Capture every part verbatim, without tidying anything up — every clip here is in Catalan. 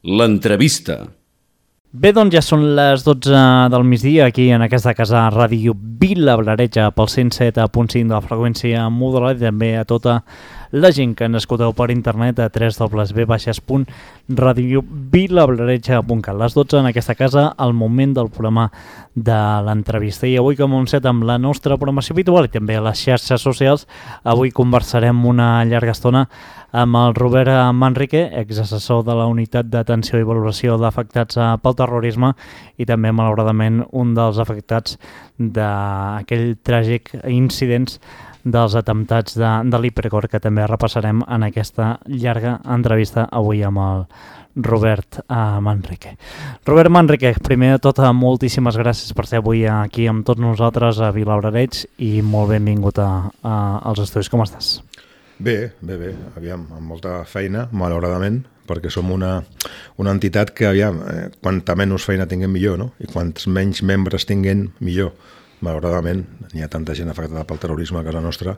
L'entrevista. Bé, doncs ja són les dotze del migdia aquí en aquesta casa Ràdio Vila-Blareja pel cent set punt cinc de la freqüència modulada i també a tota la gent que ens escolteu per internet a w w w punt radio vilablareja punt cat. Les dotze en aquesta casa, al moment del programa de l'entrevista. I avui, com hem set amb la nostra programació habitual i també a les xarxes socials, avui conversarem una llarga estona amb el Robert Manrique, exassessor de la Unitat d'Atenció i Valoració d'Afectats pel Terrorisme i també, malauradament, un dels afectats d'aquell tràgic incidents dels atemptats de, de l'Hipercor, que també repassarem en aquesta llarga entrevista avui amb el Robert uh, Manrique. Robert Manrique, primer de tot, moltíssimes gràcies per ser avui aquí amb tots nosaltres a Vilablareix i molt benvingut a, a, als estudis. Com estàs? Bé, bé, bé. Aviam, amb molta feina, malauradament, perquè som una, una entitat que, aviam, eh, quanta menys feina tinguem millor, no? I quants menys membres tinguem millor. Malauradament, n'hi ha tanta gent afectada pel terrorisme a casa nostra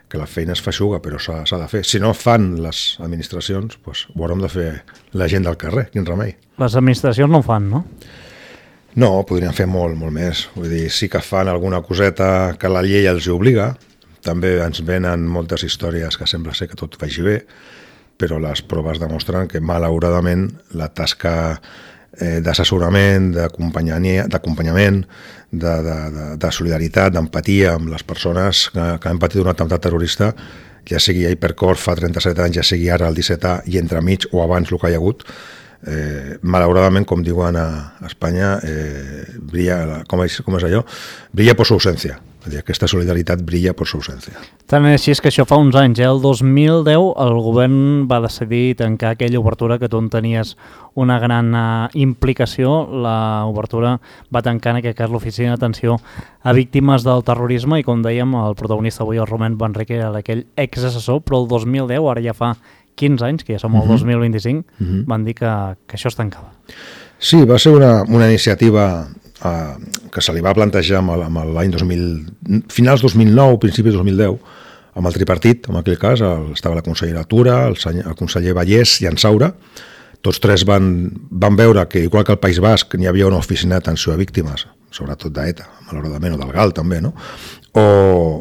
que la feina es feixuga, però s'ha de fer. Si no fan les administracions, doncs ho haurem de fer la gent del carrer, quin remei. Les administracions no ho fan, no? No, podrien fer molt, molt més. Vull dir, sí que fan alguna coseta que la llei els obliga. També ens venen moltes històries que sembla ser que tot vagi bé, però les proves demostren que, malauradament, la tasca eh, d'assessorament, d'acompanyament, de, de, de, de solidaritat, d'empatia amb les persones que, que han patit un atemptat terrorista, ja sigui a Hipercor fa trenta-set anys, ja sigui ara el disset A i entremig o abans el que hi ha hagut, eh, malauradament, com diuen a Espanya, eh, brilla, com és, com és allò? Brilla per su ausència. Aquesta solidaritat brilla per su ausència. Tant és així que això fa uns anys, eh? El dos mil deu el govern va decidir tancar aquella obertura que tu en tenies una gran uh, implicació. L'obertura va tancar, en aquest cas, l'Oficina d'Atenció a Víctimes del Terrorisme i, com dèiem, el protagonista avui, el Robert Manrique, era aquell exassessor, però el dos mil deu, ara ja fa quinze anys, que ja som el uh-huh. dos mil vint-i-cinc, uh-huh. van dir que, que això es tancava. Sí, va ser una, una iniciativa Uh, que se li va plantejar amb l'any dos mil, finals dos mil nou, principis dos mil deu, amb el tripartit, en aquell cas, el, estava la consellera Tura, el, el conseller Vallès i en Saura. Tots tres van, van veure que, igual que al País Basc, n'hi havia una oficina d'atenció a víctimes, sobretot d'ETA, malauradament, o del GAL també, no? O,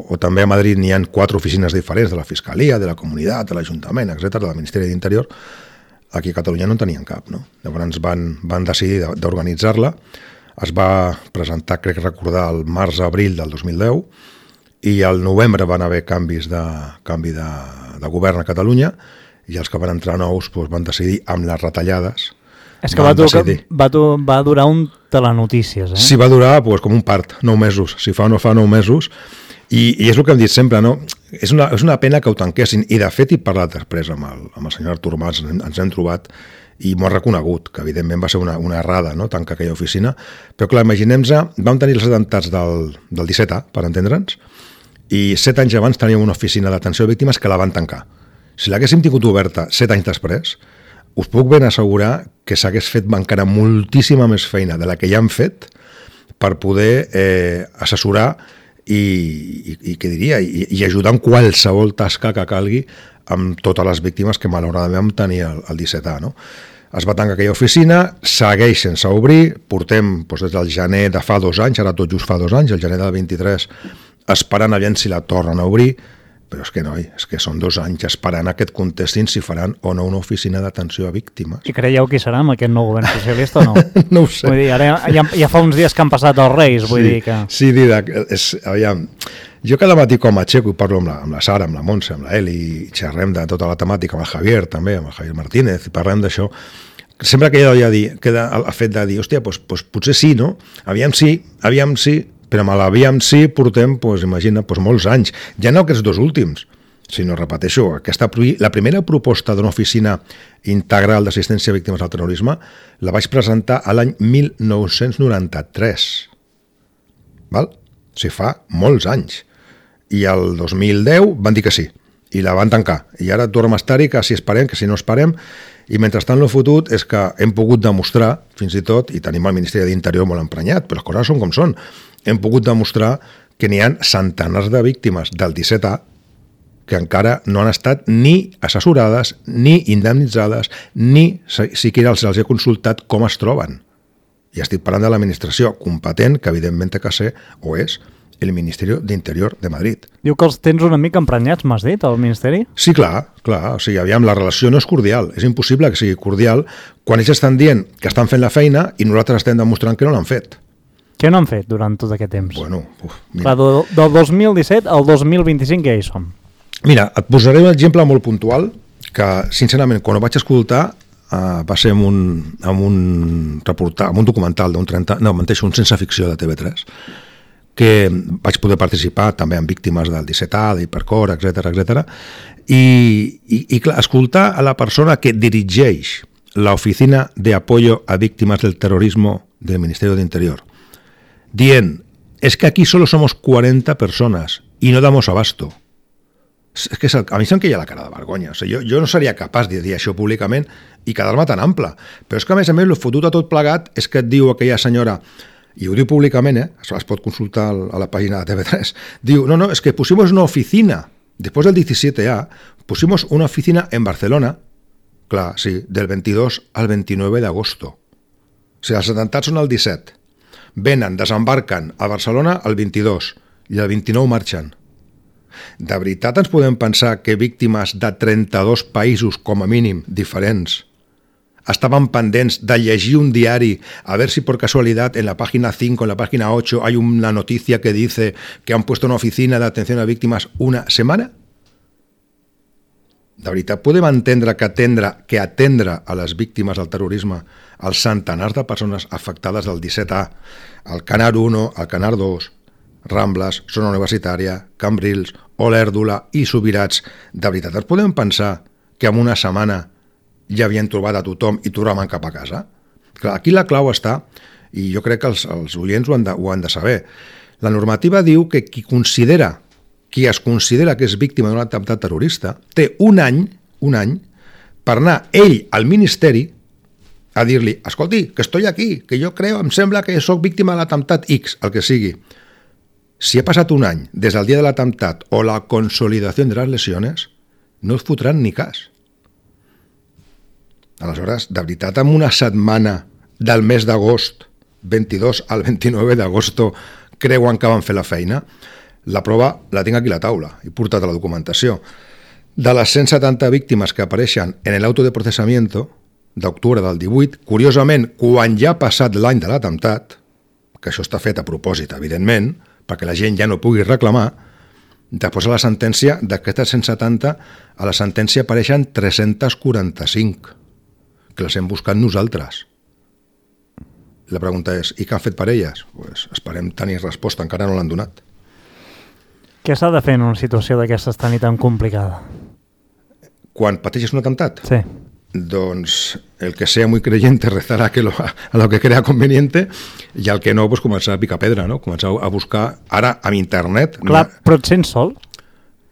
o també a Madrid n'hi ha quatre oficines diferents de la Fiscalia, de la Comunitat, de l'Ajuntament, etcètera, del Ministeri d'Interior. Aquí a Catalunya no en tenien cap, no? Llavors van, van decidir d'organitzar-la. Es va presentar, crec recordar, el març-abril del dos mil deu i al novembre van haver canvis de, canvi de, de govern a Catalunya i els que van entrar nous doncs, van decidir amb les retallades. És que va, dur, va, dur, va durar un telenotícies, eh? Sí, va durar doncs, com un part, nou mesos. Si fa o no fa nou mesos. I, i és el que hem dit sempre, no? És una, és una pena que ho tanquessin. I de fet he parlat després amb el, amb el senyor Artur Mas, ens, ens hem trobat i m'ho ha reconegut, que evidentment va ser una, una errada, no?, tancar aquella oficina, però clar, imaginem-nos, vam tenir els atemptats del, del disset A, per entendre'ns, i set anys abans teníem una oficina d'atenció a víctimes que la van tancar. Si l'haguéssim tingut oberta set anys després, us puc ben assegurar que s'hagués fet encara moltíssima més feina de la que ja han fet per poder eh, assessorar i, i, i què diria, i, i ajudar en qualsevol tasca que calgui amb totes les víctimes que malauradament vam tenir el, el disset A, no? Es va tancar aquella oficina, segueix sense obrir, portem doncs, des del gener de fa dos anys, ara tot just fa dos anys, el gener del vint-i-tres, esperant aviam si la tornen a obrir, però és que no, és que són dos anys esperant a que et contestin si faran o no una oficina d'atenció a víctimes. I creieu qui serà amb aquest nou govern socialista o no? No ho sé. Vull dir, ara ja, ja fa uns dies que han passat els Reis, vull sí, dir que... Sí, Didac, és, aviam, jo cada matí com a aixeco i parlo amb la, amb la Sara, amb la Montse, amb la Eli, i xerrem de tota la temàtica, amb el Javier també, amb el Javier Martínez, i parlem d'això. Sempre que ella dir, queda el fet de dir, hòstia, doncs, doncs potser sí, no? Aviam sí, aviam sí, però amb l'aviam sí portem, doncs, imagina, doncs, molts anys. Ja no aquests dos últims, sinó, repeteixo, aquesta, la primera proposta d'una oficina integral d'assistència a víctimes del terrorisme la vaig presentar a l'any mil nou-cents noranta-tres. Val? O sigui, fa molts anys. I el dos mil deu van dir que sí, i la van tancar. I ara tornem a estar-hi, que si esperem, que si no esperem, i mentrestant el fotut és que hem pogut demostrar, fins i tot, i tenim el Ministeri d'Interior molt emprenyat, però les coses són com són, hem pogut demostrar que n'hi ha centenars de víctimes del disset A que encara no han estat ni assessorades, ni indemnitzades, ni siquiera els, els he consultat com es troben. I estic parlant de l'administració competent, que evidentment té que ser, o és, el Ministeri d'Interior de Madrid. Diu que els tens una mica emprenyats, m'has dit, al Ministeri? Sí, clar, clar. O sigui, aviam, la relació no és cordial. És impossible que sigui cordial quan ells estan dient que estan fent la feina i nosaltres estem demostrant que no l'han fet. Què no han fet durant tot aquest temps? Bueno, uf, mira. Clar, del, del dos mil disset al dos mil vint-i-cinc ja hi som. Mira, et posaré un exemple molt puntual que, sincerament, quan ho vaig escoltar uh, va ser en un, en un reportar, en un documental d'un trenta, no, menteixo, un sense ficció de T V tres, que vaig poder participar també en víctimes del disset A, d'Hipercor, etcètera, etcètera, i, i, i clar, escoltar a la persona que dirigeix l'Oficina de Apoyo a Víctimas del Terrorismo del Ministerio de Interior, dient, es que aquí solo somos cuarenta personas y no damos abasto. És que a mi se'm queia la cara de vergonya. O sigui, jo, jo no seria capaç de dir això públicament i quedar-me tan ample. Però és que, a més a més, el fotut a tot plegat és que et diu aquella senyora, i ho diu públicament, eh? Es pot consultar a la pàgina de T V tres, diu, no, no, es que pusimos una oficina, después del diecisiete A, pusimos una oficina en Barcelona, clar, sí, del veintidós al veintinueve de agosto. O sigui, els atemptats són el disset. Venen, desembarquen a Barcelona el veintidós i el vint-i-nou marxen. De veritat ens podem pensar que víctimes de trenta-dos països, com a mínim, diferents, estaban pendents de llegir un diari a ver si por casualidad en la página cinco, en la página ocho, hay una noticia que dice que han puesto una oficina de atención a víctimas una semana? De veritat podem entendre que atendre, que atendre a les víctimes del terrorisme, als centenars de persones afectades del disset A, al Canar uno, al Canar dos, Rambles, Zona Universitària, Cambrils, Olèrdula i Subirats, de veritat ens podem pensar que en una setmana ja havien trobat a tothom i tornaven cap a casa? Clar, aquí la clau està, i jo crec que els, els oients ho han, de, ho han de saber. La normativa diu que qui considera, qui es considera que és víctima d'un atemptat terrorista, té un any, un any, per anar ell al Ministeri a dir-li, escolti, que estoy aquí, que jo creo, em sembla que sóc víctima de l'atemptat X, el que sigui. Si ha passat un any des del dia de l'atemptat o la consolidació de les lesiones, no es fotran ni cas. Aleshores, de veritat, en una setmana del mes d'agost, veintidós al vint-i-nou d'agosto, creuen que van fer la feina? La prova la tinc aquí a la taula, he portat a la documentació. De les cent setanta víctimes que apareixen en l'auto de processamiento d'octubre del divuit, curiosament, quan ja ha passat l'any de l'atemptat, que això està fet a propòsit, evidentment, perquè la gent ja no pugui reclamar, després a la sentència, d'aquestes cent setanta, a la sentència apareixen tres-cents quaranta-cinc, que les hem buscat nosaltres. La pregunta és, i què han fet per elles? Pues esperem tenir resposta, encara no l'han donat. Què s'ha de fer en una situació d'aquestes tan i tan complicada? Quan pateixes un atemptat? Sí. Doncs el que sea muy creyente rezará que lo, a lo que crea conveniente i el que no, pues, començar a picar pedra, no? Començar a buscar, ara, amb internet... Clar, no... però et sents sol?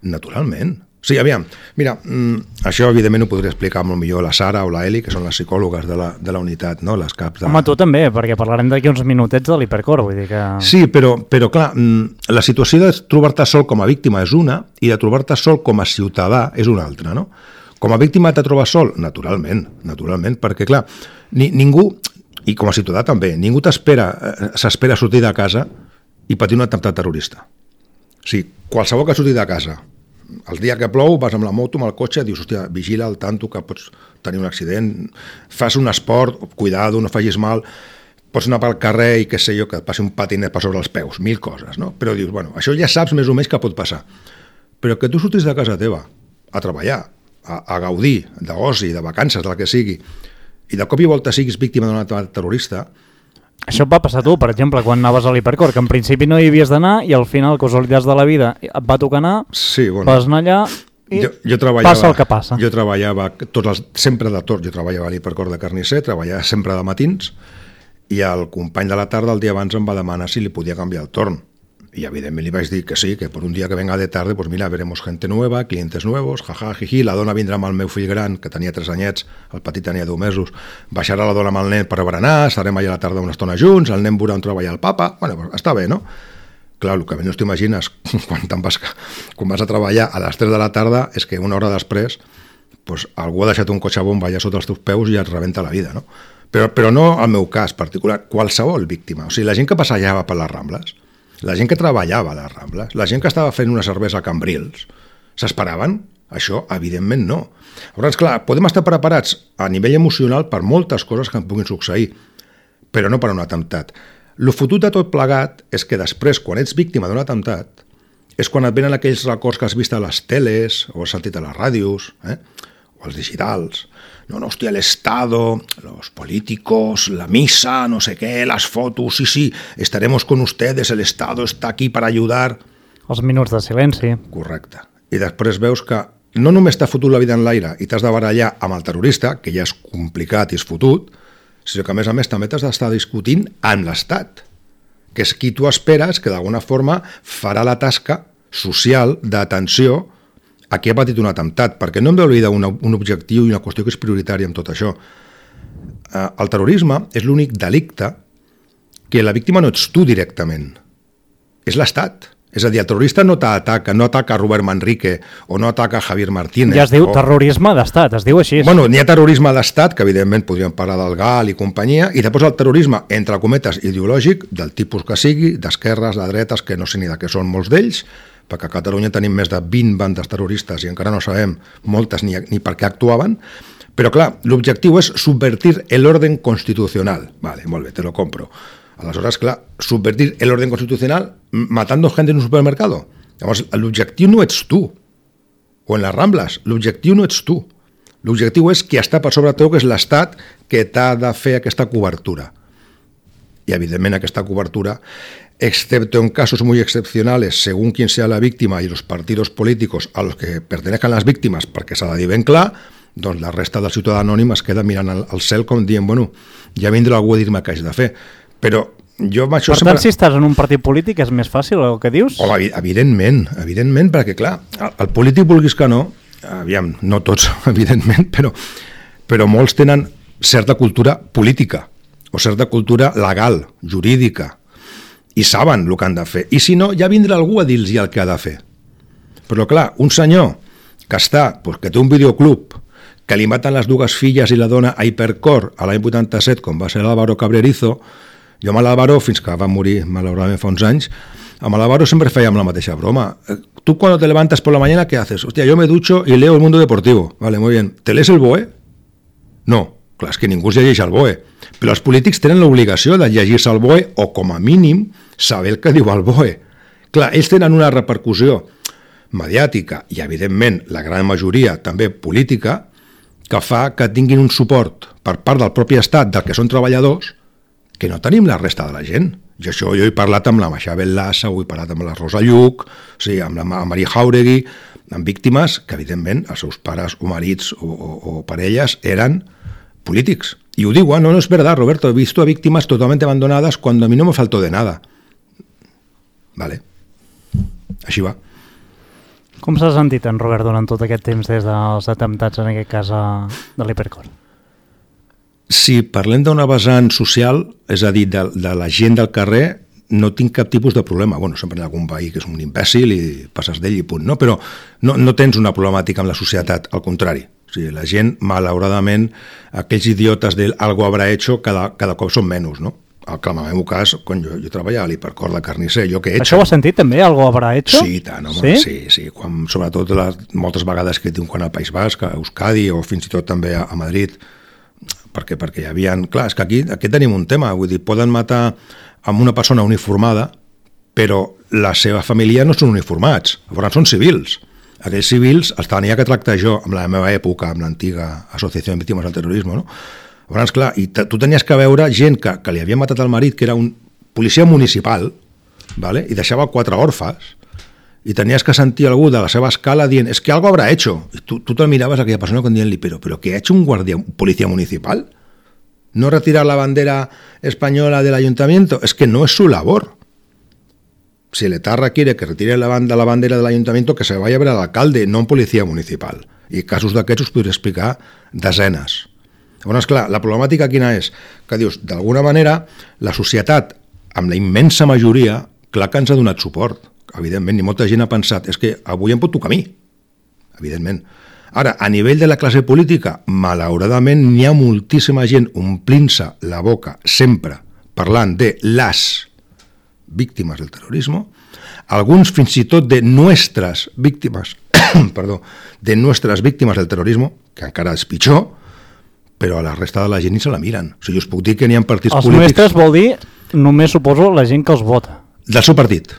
Naturalment. Sí, aviam, mira, mm, això evidentment ho podria explicar molt millor la Sara o la Eli, que són les psicòlogues de la, de la unitat, no? Les caps de... Home, tu també, perquè parlarem d'aquí uns minutets de l'Hipercor, vull dir que... Sí, però, però clar, mm, la situació de trobar-te sol com a víctima és una i de trobar-te sol com a ciutadà és una altra, no? Com a víctima te trobes sol? Naturalment, naturalment, perquè clar, ni, ningú, i com a ciutadà també, ningú t'espera, s'espera sortir de casa i patir un atemptat terrorista. O sigui, qualsevol que surti de casa, el dia que plou, vas amb la moto, amb el cotxe, dius, hòstia, vigila al tanto que pots tenir un accident, fas un esport, cuidado, no facis mal, pots anar pel carrer i què sé jo, que et passi un patinet per sobre els peus, mil coses, no? Però dius, bueno, això ja saps més o menys que pot passar. Però que tu surtis de casa teva a treballar, a, a gaudir d'oci, de vacances, del que sigui, i de cop i volta siguis víctima d'un atemptat terrorista... Això et va passar tu, per exemple, quan anaves a l'Hipercor, que en principi no hi havies d'anar i al final, casualitats de la vida, et va tocar anar, sí, bueno, vas anar allà i jo, jo passa el que passa. Jo treballava tots els, sempre de tot, jo treballava a l'Hipercor de carnisser, treballava sempre de matins, i el company de la tarda el dia abans em va demanar si li podia canviar el torn. Y evidentemente le vais a decir que sí, que por un día que venga de tarde, pues mira, veremos gente nueva, clientes nuevos, jaja, jiji, la dona vindrà amb el meu fill gran, que tenia tres anyets, el petit tenia deu mesos, baixarà la dona amb el nen per berenar, estarem allà a la tarda una estona junts, el nen veurà on treballa el papa, bueno, pues està bé, no? clar, el que no t'imagines quan, vas, quan vas a treballar a les tres de la tarda és que una hora després pues, algú ha deixat un cotxe bomba allà sota els teus peus i et rebenta la vida, no? Però, però no el meu cas particular, qualsevol víctima. O sigui, la gent que passejava per les Rambles, la gent que treballava a les Rambles, la gent que estava fent una cervesa a Cambrils, s'esperaven? Això, evidentment, no. Llavors, clar, podem estar preparats a nivell emocional per moltes coses que en puguin succeir, però no per un atemptat. Lo fotut de tot plegat és que després, quan ets víctima d'un atemptat, és quan et venen aquells records que has vist a les teles o has sentit a les ràdios, eh? o els digitals. No, no, hòstia, el Estado, los políticos, la misa, no sé què, las fotos, sí, sí, estaremos con ustedes, el Estado está aquí per ayudar. Els minuts de silenci. Correcte. I després veus que no només t'ha fotut la vida en l'aire i t'has de barallar amb el terrorista, que ja és complicat i és fotut, sinó que a més a més també t'has d'estar discutint amb l'Estat, que és qui tu esperes que d'alguna forma farà la tasca social d'atenció a qui ha patit un atemptat, perquè no hem d'oblidar un, un objectiu i una qüestió que és prioritària en tot això. Eh, el terrorisme és l'únic delicte que la víctima no ets tu directament, és l'Estat. És a dir, el terrorista no t'ataca, no ataca Robert Manrique o no ataca Javier Martínez. Ja es diu o... terrorisme d'estat, es diu així. Bueno, n'hi ha terrorisme d'estat, que evidentment podríem parlar del GAL i companyia, i després el terrorisme, entre cometes, ideològic, del tipus que sigui, d'esquerres, de dretes, que no sé ni de què són molts d'ells, perquè a Catalunya tenim més de vint bandes terroristes i encara no sabem moltes ni, ni per què actuaven, però clar, l'objectiu és subvertir l'orden constitucional. Vale, molt bé, te lo compro. Aleshores, clar, subvertir l'orden constitucional matando gente en un supermercado. Llavors, l'objectiu no ets tu. O en les Rambles, l'objectiu no ets tu. L'objectiu és qui està per sobre teu, que és l'Estat que t'ha de fer aquesta cobertura. Y evidentemente aquesta cobertura, excepto en casos muy excepcionales, según quien sea la víctima y los partidos políticos a los que pertenezcan las víctimas, perquè s'ha de dir ben clar, doncs la resta del ciutadà anònim es queda mirant al, al cel com dient, bueno, ja vindrà algú a dir-me què haig de fer. Però jo amb això per tant, sempre... si estàs en un partit polític és més fàcil el que dius? Oh, evidentment, evidentment, perquè clar, el, el polític vulguis que no, aviam, no tots, evidentment, però, però molts tenen certa cultura política o certa cultura legal, jurídica, i saben el que han de fer. I si no, ja vindrà algú a dir-los el que ha de fer. Però clar, un senyor que està, pues, que té un videoclub, que li maten les dues filles i la dona a Hipercor a l'any vuitanta-set, com va ser l'Álvaro Cabrerizo, jo amb l'Álvaro, fins que va morir malauradament fa uns anys, amb l'Álvaro sempre fèiem la mateixa broma. Tu cuando te levantas por la mañana, ¿qué haces? Hostia, yo me ducho y leo El Mundo Deportivo. Vale, muy bien. ¿Te lees el B O E? No, clar, és que ningú es llegeix el B O E. Però els polítics tenen l'obligació de llegir-se el B O E o, com a mínim, saber el que diu el B O E. Clar, ells tenen una repercussió mediàtica i, evidentment, la gran majoria també política, que fa que tinguin un suport per part del propi Estat, del que són treballadors, que no tenim la resta de la gent. Jo això jo he parlat amb la Maxabel Lassa, ho he parlat amb la Rosa Lluc, o sigui, amb la Maria Jauregui, amb víctimes que, evidentment, els seus pares o marits o, o, o parelles eren polítics. Y ho digo, no, no es verdad, Roberto, he visto a víctimas totalmente abandonadas cuando a mí no me faltó de nada. Vale, així va. Com s'ha sentit en Robert durant tot aquest temps des dels atemptats, en aquest cas, de l'Hipercor? Si parlem d'una vessant social, és a dir, de, de la gent del carrer, no tinc cap tipus de problema. Bueno, sempre hi ha algun veí que és un imbècil i passes d'ell i punt, no? Però no, no tens una problemàtica amb la societat, al contrari. O sigui, la gent, malauradament, aquells idiotes del algo habrá hecho cada, cada cop són menys, no? El, en el meu cas, quan jo, jo treballava a l'Hipercor de Carnisser, jo què he hecho? Això ho has sentit també, algo habrá hecho? Sí, tant, home, sí? sí, sí. Quan, sobretot les, moltes vegades que tinc quan al País Basc, a Euskadi o fins i tot també a, a Madrid, perquè, perquè hi havia... Clar, és que aquí, aquí tenim un tema, vull dir, poden matar amb una persona uniformada, però la seva família no són uniformats, llavors són civils. Aquells civils els tenia que tractar jo, amb la meva època, amb l'antiga Associació de Víctimes del Terrorisme, no? Llavors, clar, i tu tenies que veure gent que, que li havia matat el marit, que era un policia municipal, ¿vale? I deixava quatre orfes, i tenies que sentir algú de la seva escala dient, es que algo habrá hecho. I tu, tu te miraves a aquella persona con dient-li, però, però ¿qué ha hecho un guardia, un policía municipal? ¿No retirar la bandera española del ayuntamiento? Es que no es su labor. Si el etarra quiere que retire la, banda, la bandera del ayuntamiento, que se vaya a ver al alcalde, no un policía municipal. I casos d'aquests us podria explicar desenes. Llavors, clar, la problemàtica quina és? Que dius, d'alguna manera, la societat, amb la immensa majoria, clar que ens ha donat suport, evidentment, i molta gent ha pensat, és que avui em pot tocar a mi, evidentment. Ara, a nivell de la classe política, malauradament n'hi ha moltíssima gent omplint-se la boca sempre parlant de les víctimes del terrorisme, alguns fins i tot de nuestras víctimes, perdó, de nuestras víctimes del terrorisme, que encara és pitjor, però a la resta de la gent ni se la miren. O sigui, us puc dir que n'hi ha partits els polítics... Els nuestres vol dir, només suposo, la gent que els vota. Del seu partit,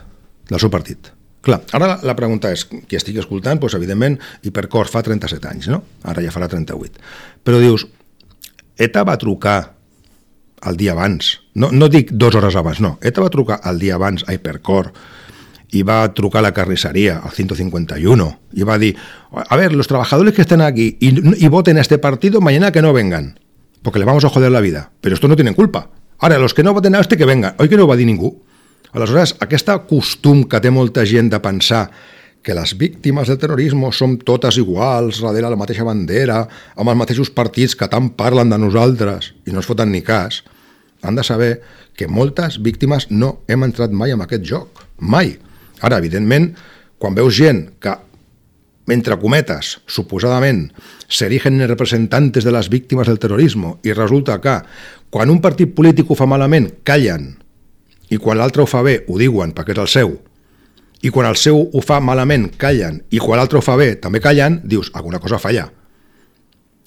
del seu partit. Clar, ara la, la pregunta és, qui estigui escoltant, doncs, evidentment, Hipercor fa trenta-set anys, no? Ara ja farà trenta-vuit. Però dius, ETA va trucar el dia abans, no, no dic dues hores abans, no, ETA va trucar el dia abans a Hipercor y va a trucar a la carnicería, al ciento cincuenta y uno, y va a decir, a ver, los trabajadores que estén aquí y, y voten a este partido, mañana que no vengan, porque le vamos a joder la vida. Pero estos no tienen culpa. Ara, los que no voten a este, que vengan. Oi que no ho va dir ningú? Aleshores, aquest costum que té molta gent de pensar que les víctimes del terrorisme som totes iguals, darrere la mateixa bandera, amb els mateixos partits que tant parlen de nosaltres i no es foten ni cas, han de saber que moltes víctimes no hem entrat mai en aquest joc. Mai. Ara, evidentment, quan veus gent que, entre cometes, suposadament, s'erigen en representantes de les víctimes del terrorisme i resulta que, quan un partit polític ho fa malament, callen, i quan l'altre ho fa bé, ho diuen perquè és el seu, i quan el seu ho fa malament, callen, i quan l'altre ho fa bé, també callen, dius, alguna cosa falla.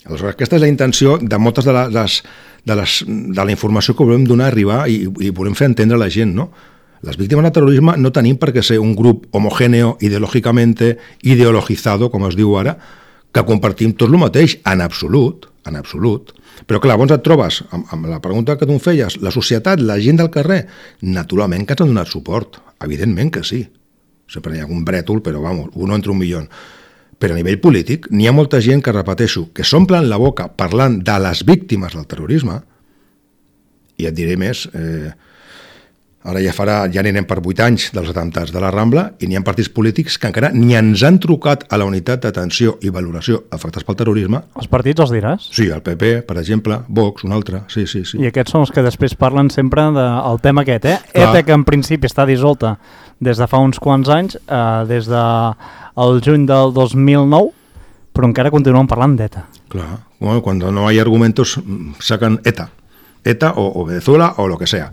Aleshores, aquesta és la intenció de moltes de, les, de, les, de la informació que volem donar, arribar i, i volem fer entendre a la gent, no? Les víctimes del terrorisme no tenim per què ser un grup homogèneo, ideològicamente ideologizado, com es diu ara, que compartim tot el mateix, en absolut, en absolut. Però clar, llavors et trobes, amb, amb la pregunta que tu em feies, la societat, la gent del carrer, naturalment que ens han donat suport, evidentment que sí. Sempre hi ha un brètol, però vamos, uno entre un milió. Però a nivell polític, n'hi ha molta gent que, repeteixo, que s'omplen la boca parlant de les víctimes del terrorisme, i et diré més, eh, ara ja farà, ja anirem per vuit anys dels atemptats de la Rambla i n'hi ha partits polítics que encara ni ens han trucat a la unitat d'atenció i valoració afectats pel terrorisme. Els partits els diràs? Sí, el P P, per exemple, Vox, un altre, sí, sí, sí. I aquests són els que després parlen sempre del de, tema aquest, eh? Clar. ETA, que en principi està dissolta des de fa uns quants anys, eh, des de el juny del dos mil nou, però encara continuen parlant d'ETA. Clar, bueno, quan no hi ha argumentos sacan ETA, ETA o, o Venezuela o lo que sea.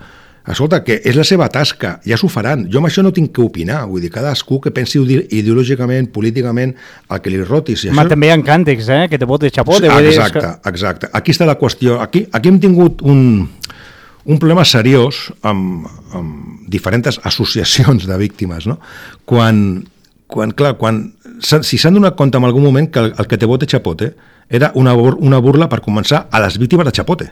Escolta, que és la seva tasca, ja s'ho faran. Jo amb això no tinc que opinar, vull dir, cadascú que pensi ideològicament, políticament, el que li roti. Si Ma això... també hi ha càntics, eh? Que te bote chapote. Sí, exacte, que... exacte. Aquí està la qüestió. Aquí, aquí hem tingut un, un problema seriós amb, amb diferents associacions de víctimes, no? Quan, quan clar, quan, si s'han donat compte en algun moment que el, el que te bote chapote era una, una burla per començar a les víctimes de chapote.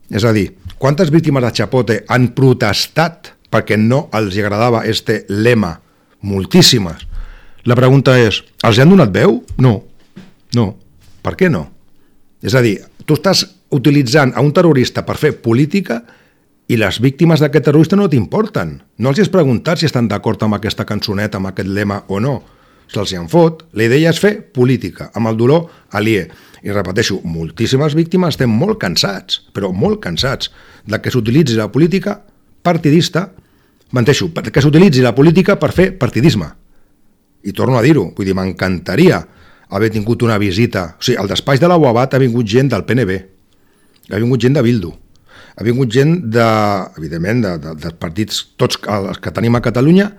És a dir, quantes víctimes de Chapote han protestat perquè no els agradava este lema? Moltíssimes. La pregunta és, els han donat veu? No. No. Per què no? És a dir, tu estàs utilitzant a un terrorista per fer política i les víctimes d'aquest terrorista no t'importen. No els has preguntat si estan d'acord amb aquesta cançoneta, amb aquest lema o no. Se'ls en fot. La idea és fer política, amb el dolor aliè. I repeteixo, moltíssimes víctimes estem molt cansats, però molt cansats, de que s'utilitzi la política partidista, menteixo, que s'utilitzi la política per fer partidisme. I torno a dir-ho, vull dir, m'encantaria haver tingut una visita. O sigui, al despatx de la U A B A T ha vingut gent del P N B, ha vingut gent de Bildu, ha vingut gent, de, evidentment, de, de, dels partits tots els que tenim a Catalunya,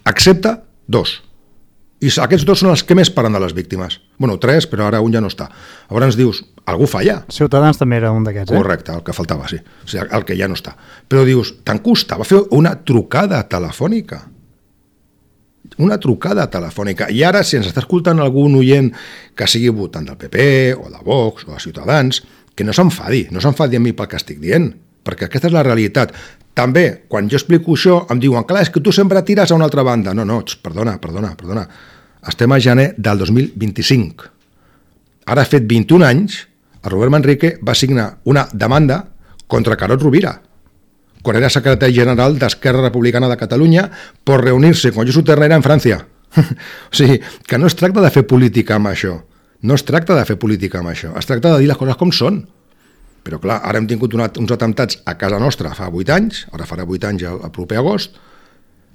excepte dos. I aquests dos són els que més parlen de les víctimes. Bueno, tres, però ara un ja no està. Llavors ens dius, algú falla. Ciutadans també era un d'aquests, eh? Correcte, el que faltava, sí. O sigui, el que ja no està. Però dius, tant costava fer una trucada telefònica. Una trucada telefònica. I ara, si ens està escoltant algun oient que sigui votant del P P, o de Vox, o de Ciutadans, que no s'enfadi, no s'enfadi amb mi pel que estic dient, perquè aquesta és la realitat. També, quan jo explico això, em diuen, clar, és que tu sempre tires a una altra banda. No, no, perdona, perdona, perdona. Estem a gener del dos mil vint-i-cinc. Ara ha fet vint-i-un anys, el Robert Manrique va signar una demanda contra Carod Rovira, quan era secretari general d'Esquerra Republicana de Catalunya, per reunir-se con Josu Ternera en França. O sigui, que no es tracta de fer política amb això. No es tracta de fer política amb això. Es tracta de dir les coses com són. Però clar, ara hem tingut una, uns atemptats a casa nostra fa vuit anys, ara farà vuit anys el, el proper agost,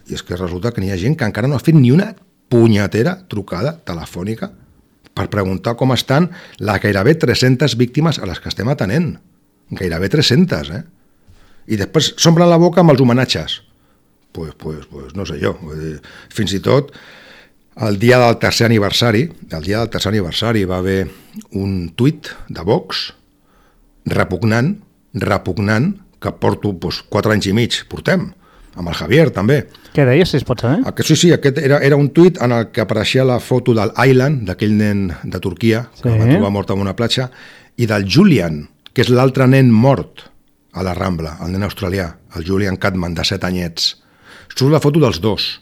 I és que resulta que n'hi ha gent que encara no ha fet ni una punyetera trucada telefònica per preguntar com estan les gairebé tres-centes víctimes a les que estem atenent. Gairebé tres-centes, eh? I després s'omplen la boca amb els homenatges. Pues, pues, pues no sé jo. Vull dir, fins i tot el dia del tercer aniversari, el dia del tercer aniversari va haver un tuit de Vox repugnant, repugnant, que porto pues, quatre anys i mig, portem, amb el Javier també. Què deia, si es pot saber? Aquest, sí, sí, aquest era, era un tuit en el que apareixia la foto del Aylan, d'aquell nen de Turquia, que sí. va trobar mort en una platja, i del Julian, que és l'altre nen mort a la Rambla, el nen australià, el Julian Catman, de set anyets. Surt la foto dels dos.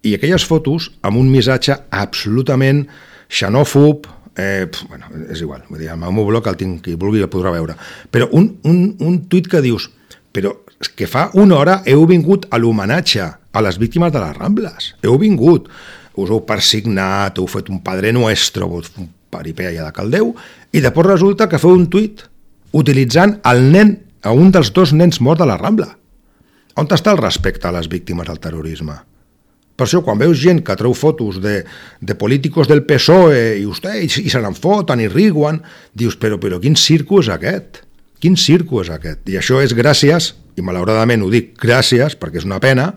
I aquelles fotos amb un missatge absolutament xenòfob, eh, pf, bueno, és igual, vull dir, el meu blog el tinc, qui vulgui el podrà veure. Però un, un, un tuit que dius, però que fa una hora heu vingut a l'homenatge a les víctimes de les Rambles. Heu vingut, us heu persignat, heu fet un Padre Nuestro, un peripèia de caldeu, i després resulta que feu un tuit utilitzant el nen, a un dels dos nens morts de la Rambla. On està el respecte a les víctimes del terrorisme? Per això, quan veus gent que treu fotos de, de políticos del P S O E i, usted, i, i se n'enfoten i riguen, dius, però, però quin circo és aquest? Quin circo és aquest? I això és gràcies, i malauradament ho dic gràcies, perquè és una pena,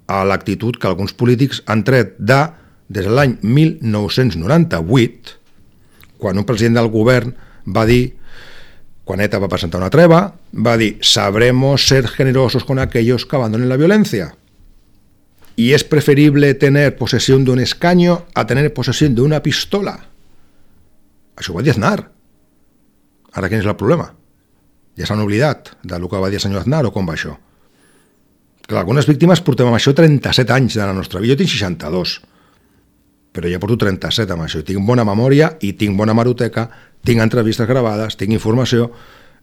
a l'actitud que alguns polítics han tret de, des de l'any mil nou-cents noranta-vuit, quan un president del govern va dir, quan ETA va presentar una treva, va dir, sabremos ser generosos con aquellos que abandonen la violencia. Y es preferible tener posesión de un escaño a tener posesión de una pistola. Això ho va dir Aznar. Ara quin és el problema? Ja s'han oblidat del que va dir el senyor Aznar o com va això? Clar, algunes víctimes portem amb això trenta-set anys de la nostra vida. Jo tinc seixanta-dos, però ja porto trenta-set amb això. Tinc bona memòria i tinc bona hemeroteca, tinc entrevistes gravades, tinc informació,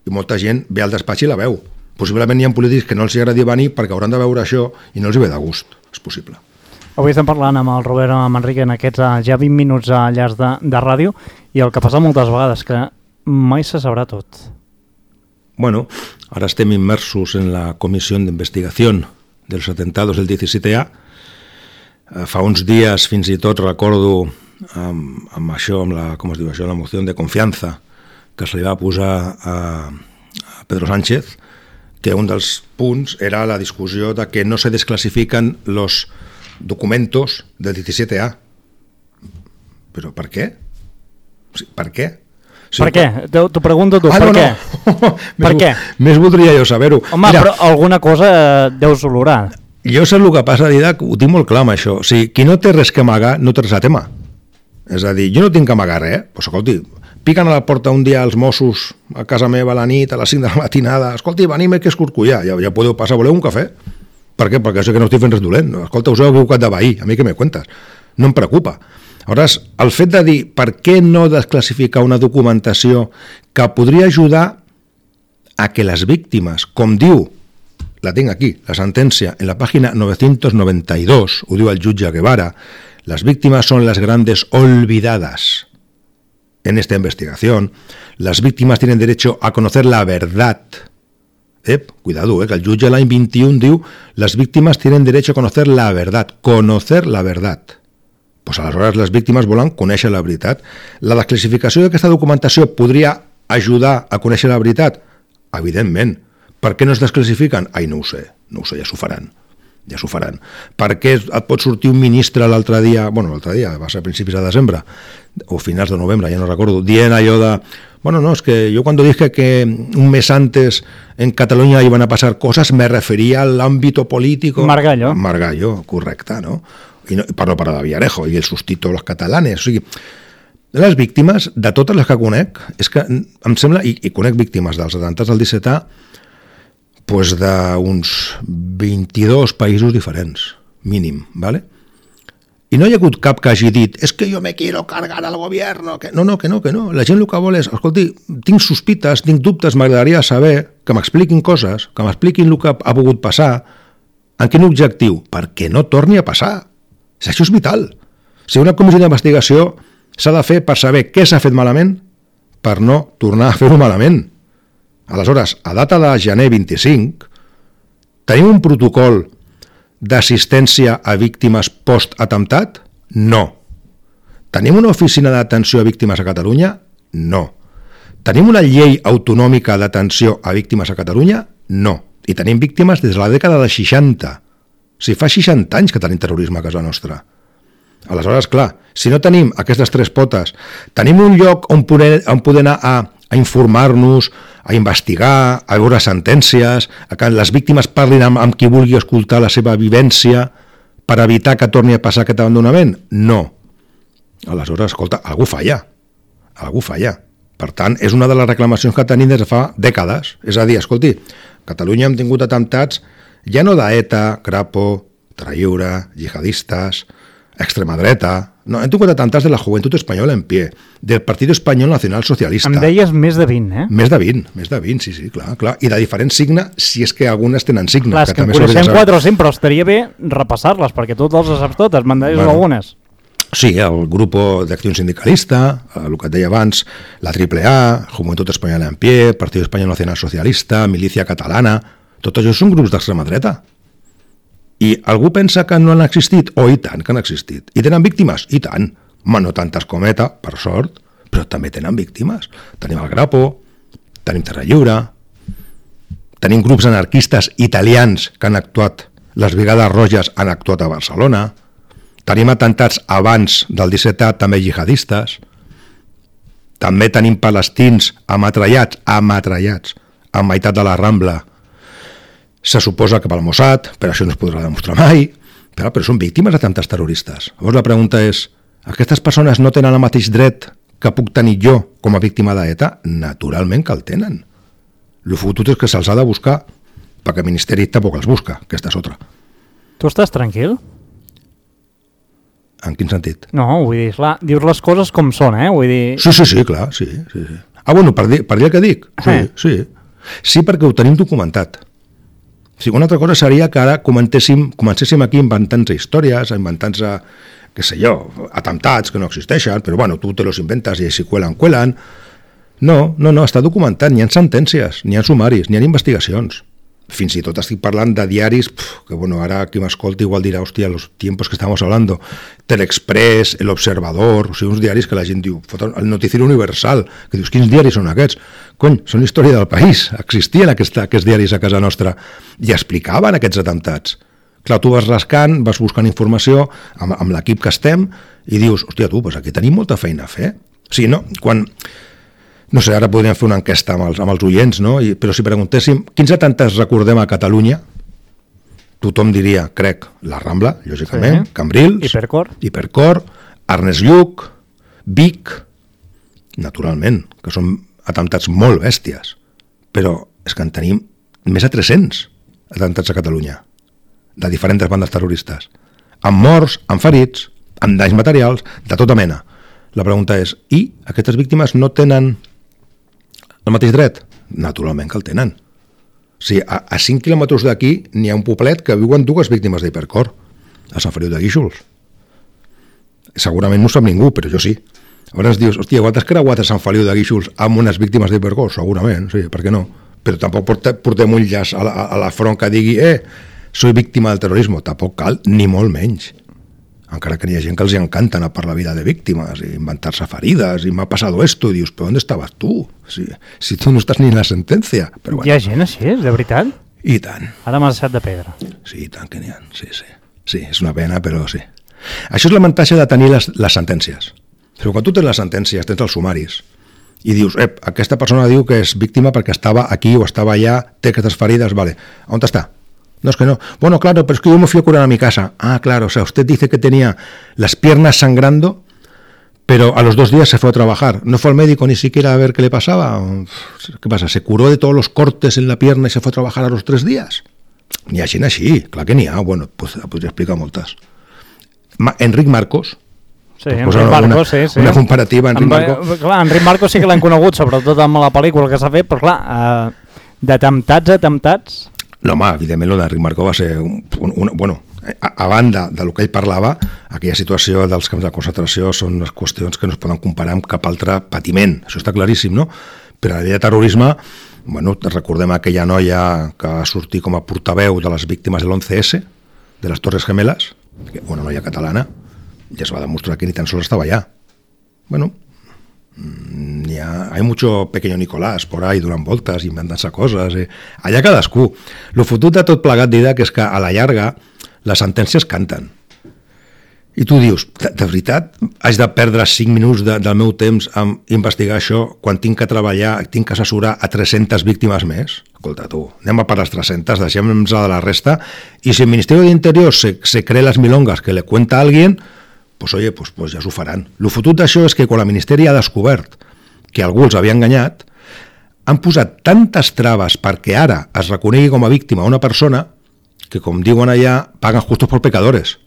i molta gent ve al despatx i la veu. Possiblement hi ha polítics que no els agradi venir perquè hauran de veure això i no els hi ve de gust. És possible. Avui estem parlant amb el Robert Manrique en aquests ja vint minuts a llarg de, de ràdio, i el que passa moltes vegades, que mai se sabrà tot. Bueno, ara estem immersos en la comissió d'investigació dels atentados del disset A. Fa uns dies fins i tot recordo amb, amb això, amb la, com es diu això, la moció de confiança que se li va posar a, a Pedro Sánchez, que un dels punts era la discussió de que no se desclasifican los documentos del disset A. Però per què? Per què? Sí, per què? T'ho pregunto tu, ah, per no, què? No. Per més, què? Més voldria jo saber-ho. Home, Mira, però alguna cosa deus olorar. Jo sé el que passa, Didac, ho tinc molt clar amb això. O sigui, qui no té res que amagar, no té res a tema. És a dir, jo no tinc que amagar res, eh? Pues, escolti, piquen a la porta un dia els Mossos a casa meva a la nit, a les cinc de la matinada, escolti, venime que escorcollar, ja, ja podeu passar, voleu un cafè? Per què? Perquè sé que no estic fent res dolent. Escolta, us heu equivocat de veí, a mi què me cuentes? No em preocupa. Aleshores, el fet de dir per què no desclassificar una documentació que podria ajudar a que les víctimes, com diu, la tinc aquí, la sentència, en la pàgina novecientos noventa y dos, ho diu el jutge Guevara, las víctimas son las grandes olvidadas. En esta investigación, las víctimas tienen derecho a conocer la verdad. Eh, cuidado, eh, que el jutge l'any vint-i-un diu las víctimas tienen derecho a conocer la verdad. Conocer la verdad. Pues aleshores les víctimes volen conèixer la veritat. La desclassificació d'aquesta documentació podria ajudar a conèixer la veritat? Evidentment. Per què no es desclassifiquen? Ai, no ho sé, no ho sé, ja s'ho faran. Ja s'ho faran. Per què et pot sortir un ministre l'altre dia, bueno, l'altre dia, va ser a principis de desembre, o finals de novembre, ja no recordo, dient allò de, bueno, no, es que yo cuando dije que un mes antes en Cataluña iban a pasar cosas, me refería al ámbito político. Margallo. Margallo, correcte, no? I no, parlo per de Villarejo, i el sustito los catalanes, o sigui, les víctimes, de totes les que conec, és que em sembla, i, i conec víctimes dels atemptats del disset A, pues d'uns vint-i-dos països diferents, mínim, ¿vale? I no hi ha hagut cap que hagi dit és que jo me quiero cargar al gobierno. Que... No, no, que no, que no. La gent el que vol és, escolti, tinc sospites, tinc dubtes, m'agradaria saber que m'expliquin coses, que m'expliquin el que ha pogut passar, en quin objectiu? Perquè no torni a passar. Això és vital. Si una comissió d'investigació s'ha de fer per saber què s'ha fet malament, per no tornar a fer-ho malament. Aleshores, a data de gener vint-i-cinc, tenim un protocol d'assistència a víctimes post-atemptat? No. Tenim una oficina d'atenció a víctimes a Catalunya? No. Tenim una llei autonòmica d'atenció a víctimes a Catalunya? No. I tenim víctimes des de la dècada dels seixanta. O sigui, fa seixanta anys que tenim terrorisme a casa nostra. Aleshores, clar, si no tenim aquestes tres potes, tenim un lloc on poder, on poder anar a, a informar-nos, a investigar, a veure sentències, a que les víctimes parlin amb, amb qui vulgui escoltar la seva vivència per evitar que torni a passar aquest abandonament? No. Aleshores, escolta, algú falla. Algú falla. Per tant, és una de les reclamacions que tenim des de fa dècades. És a dir, escolti, a Catalunya hem tingut atemptats ja no d'ETA, Crapo, Tralliure, jihadistes, extrema dreta. No, hem tingut atemptats de la Juventud Espanyola en pie, del Partit Espanyol Nacional Socialista. Em deies més de vint, eh? Més de vint, més de vint, sí, sí, clar, clar. I de diferent signe, si és que algunes tenen signe. Clar, és que, que en coneixem quatre o cinc, però estaria bé repassar-les, perquè tu les saps totes, me'n deies bueno, algunes. Sí, el Grup d'Acció Sindicalista, el que et deia abans, la Triple A, Juventud Espanyola en pie, Partit Espanyol Nacional Socialista, Milícia Catalana, tots això són grups d'extrema dreta. I algú pensa que no han existit? Oh, i tant que han existit. I tenen víctimes? I tant. Ma, no tantes com ETA, per sort, però també tenen víctimes. Tenim el Grapo, tenim Terra Lliure, tenim grups anarquistes italians que han actuat, les Brigades Roges han actuat a Barcelona, tenim atemptats abans del disset A també jihadistes, també tenim palestins ametrallats, ametrallats, a meitat de la Rambla. Se suposa que pel Mossad, però això no es podrà demostrar mai, però, però són víctimes d'atemptats terroristes. Llavors la pregunta és, aquestes persones no tenen el mateix dret que puc tenir jo com a víctima d'ETA? Naturalment que el tenen. El fotut és que se'ls ha de buscar, perquè el Ministeri tampoc els busca, aquesta és otra. Tu estàs tranquil? En quin sentit? No, vull dir, clar, dius les coses com són, eh? Vull dir... Sí, sí, sí, clar, sí. sí, sí. Ah, bueno, per dir, per dir el que dic? Sí, eh. sí. Sí, perquè ho tenim documentat. O sigui, una altra cosa seria que ara comencéssim, comencéssim aquí inventant-se històries, inventant-se, què sé jo, atemptats que no existeixen, però bueno, tu te los inventes i si cuelan, cuelan. No, no, no, està documentat, n'hi ha sentències, n'hi ha sumaris, n'hi ha investigacions. Fins i tot estic parlant de diaris, pf, que bueno, ara qui m'escolta igual dirà, hòstia, los tiempos que estamos hablando, Telexpress, El Observador, o sigui, uns diaris que la gent diu, el Noticiero Universal, que dius, quins diaris són aquests? Cony, són història del país, existien aquests, aquests diaris a casa nostra, i explicaven aquests atemptats. Clar, tu vas rascant, vas buscant informació amb, amb l'equip que estem, i dius, hòstia, tu, pues aquí tenim molta feina a fer. O sigui, no, quan... No sé, ara podríem fer una enquesta amb els, amb els oients, no? I, però si preguntéssim quins atemptats recordem a Catalunya, tothom diria, crec, la Rambla, lògicament, sí. Cambrils, Hipercor, Hipercor, Ernest Lluch, Vic, naturalment, que són atemptats molt bèsties, però és que en tenim més de tres-cents atemptats a Catalunya, de diferents bandes terroristes, amb morts, amb ferits, amb danys materials, de tota mena. La pregunta és, i aquestes víctimes no tenen el mateix dret? Naturalment que el tenen. O sigui, a, a cinc quilòmetres d'aquí n'hi ha un poblet que viuen dues víctimes d'Hipercor, a Sant Feliu de Guíxols. Segurament no ho sap ningú, però jo sí. Llavors dius, hòstia, quantes creuades a Sant Feliu de Guíxols amb unes víctimes d'Hipercor? Segurament, sí, per què no? Però tampoc portem un llaç a la, a la front que digui, eh, soy víctima del terrorisme. Tampoc cal, ni molt menys. Encara que hi ha gent que els encanta anar per la vida de víctimes i inventar-se ferides i m'ha passat esto, i dius, però on estaves tu? Si, si tu no estàs ni en la sentència. Però bueno. Hi ha gent així, de veritat? I tant. Ara m'has deixat de pedra. Sí, i tant que n'hi ha, sí, sí. Sí, és una pena, però sí. Això és l'avantatge de tenir les, les sentències. Però quan tu tens les sentències, tens els sumaris, i dius, ep, aquesta persona diu que és víctima perquè estava aquí o estava allà, té aquestes ferides, vale, on està? No, es que no. Bueno, claro, pero es que yo me fui a curar a mi casa. Ah, claro, o sea, usted dice que tenía las piernas sangrando, pero a los dos días se fue a trabajar. ¿No fue al médico ni siquiera a ver qué le pasaba? ¿Qué pasa? ¿Se curó de todos los cortes en la pierna y se fue a trabajar a los tres días? N'hi ha gent així, clar que n'hi ha. Bueno, pues, podria explicar moltes. Ma, Enric Marcos. Sí, Enric Marcos, una, sí, sí. Una comparativa, Enric amb, Marcos. Clar, Enric Marcos sí que l'hem conegut, sobretot amb la pel·lícula que s'ha fet, però clar, eh, d'atemptats, atemptats... No, home, evidentment, el d'Enric Marcó va ser... Un, un, un, bueno, a, a banda del que ell parlava, aquella situació dels camps de concentració són unes qüestions que no es poden comparar amb cap altre patiment. Això està claríssim, no? Però a la llei de terrorisme, bueno, recordem aquella noia que va sortir com a portaveu de les víctimes de l'once esse, de les Torres Gemelas, una noia catalana, ja es va demostrar que ni tan sols estava allà. Bueno, hi ha, hay mucho pequeño Nicolás por ahí donant voltes, inventant-se coses. Eh? Allà cadascú. Lo fotut de tot plegat d'idea que és que a la llarga les sentències canten. I tu dius, de, de veritat, haig de perdre cinc minuts de, del meu temps en investigar això quan tinc que treballar, tinc que assessorar a tres-centes víctimes més? Escolta, tu, anem a per les tres-centes, deixem-nos de la resta, i si el Ministeri d'Interior se, se cree les milongas que le cuenta a alguien, pues oye, pues, pues ja s'ho faran. Lo fotut d'això és que quan el Ministeri ha descobert que algú els havia enganyat, han posat tantes traves perquè ara es reconegui com a víctima una persona que, com diuen allà, paguen justos por pecadores.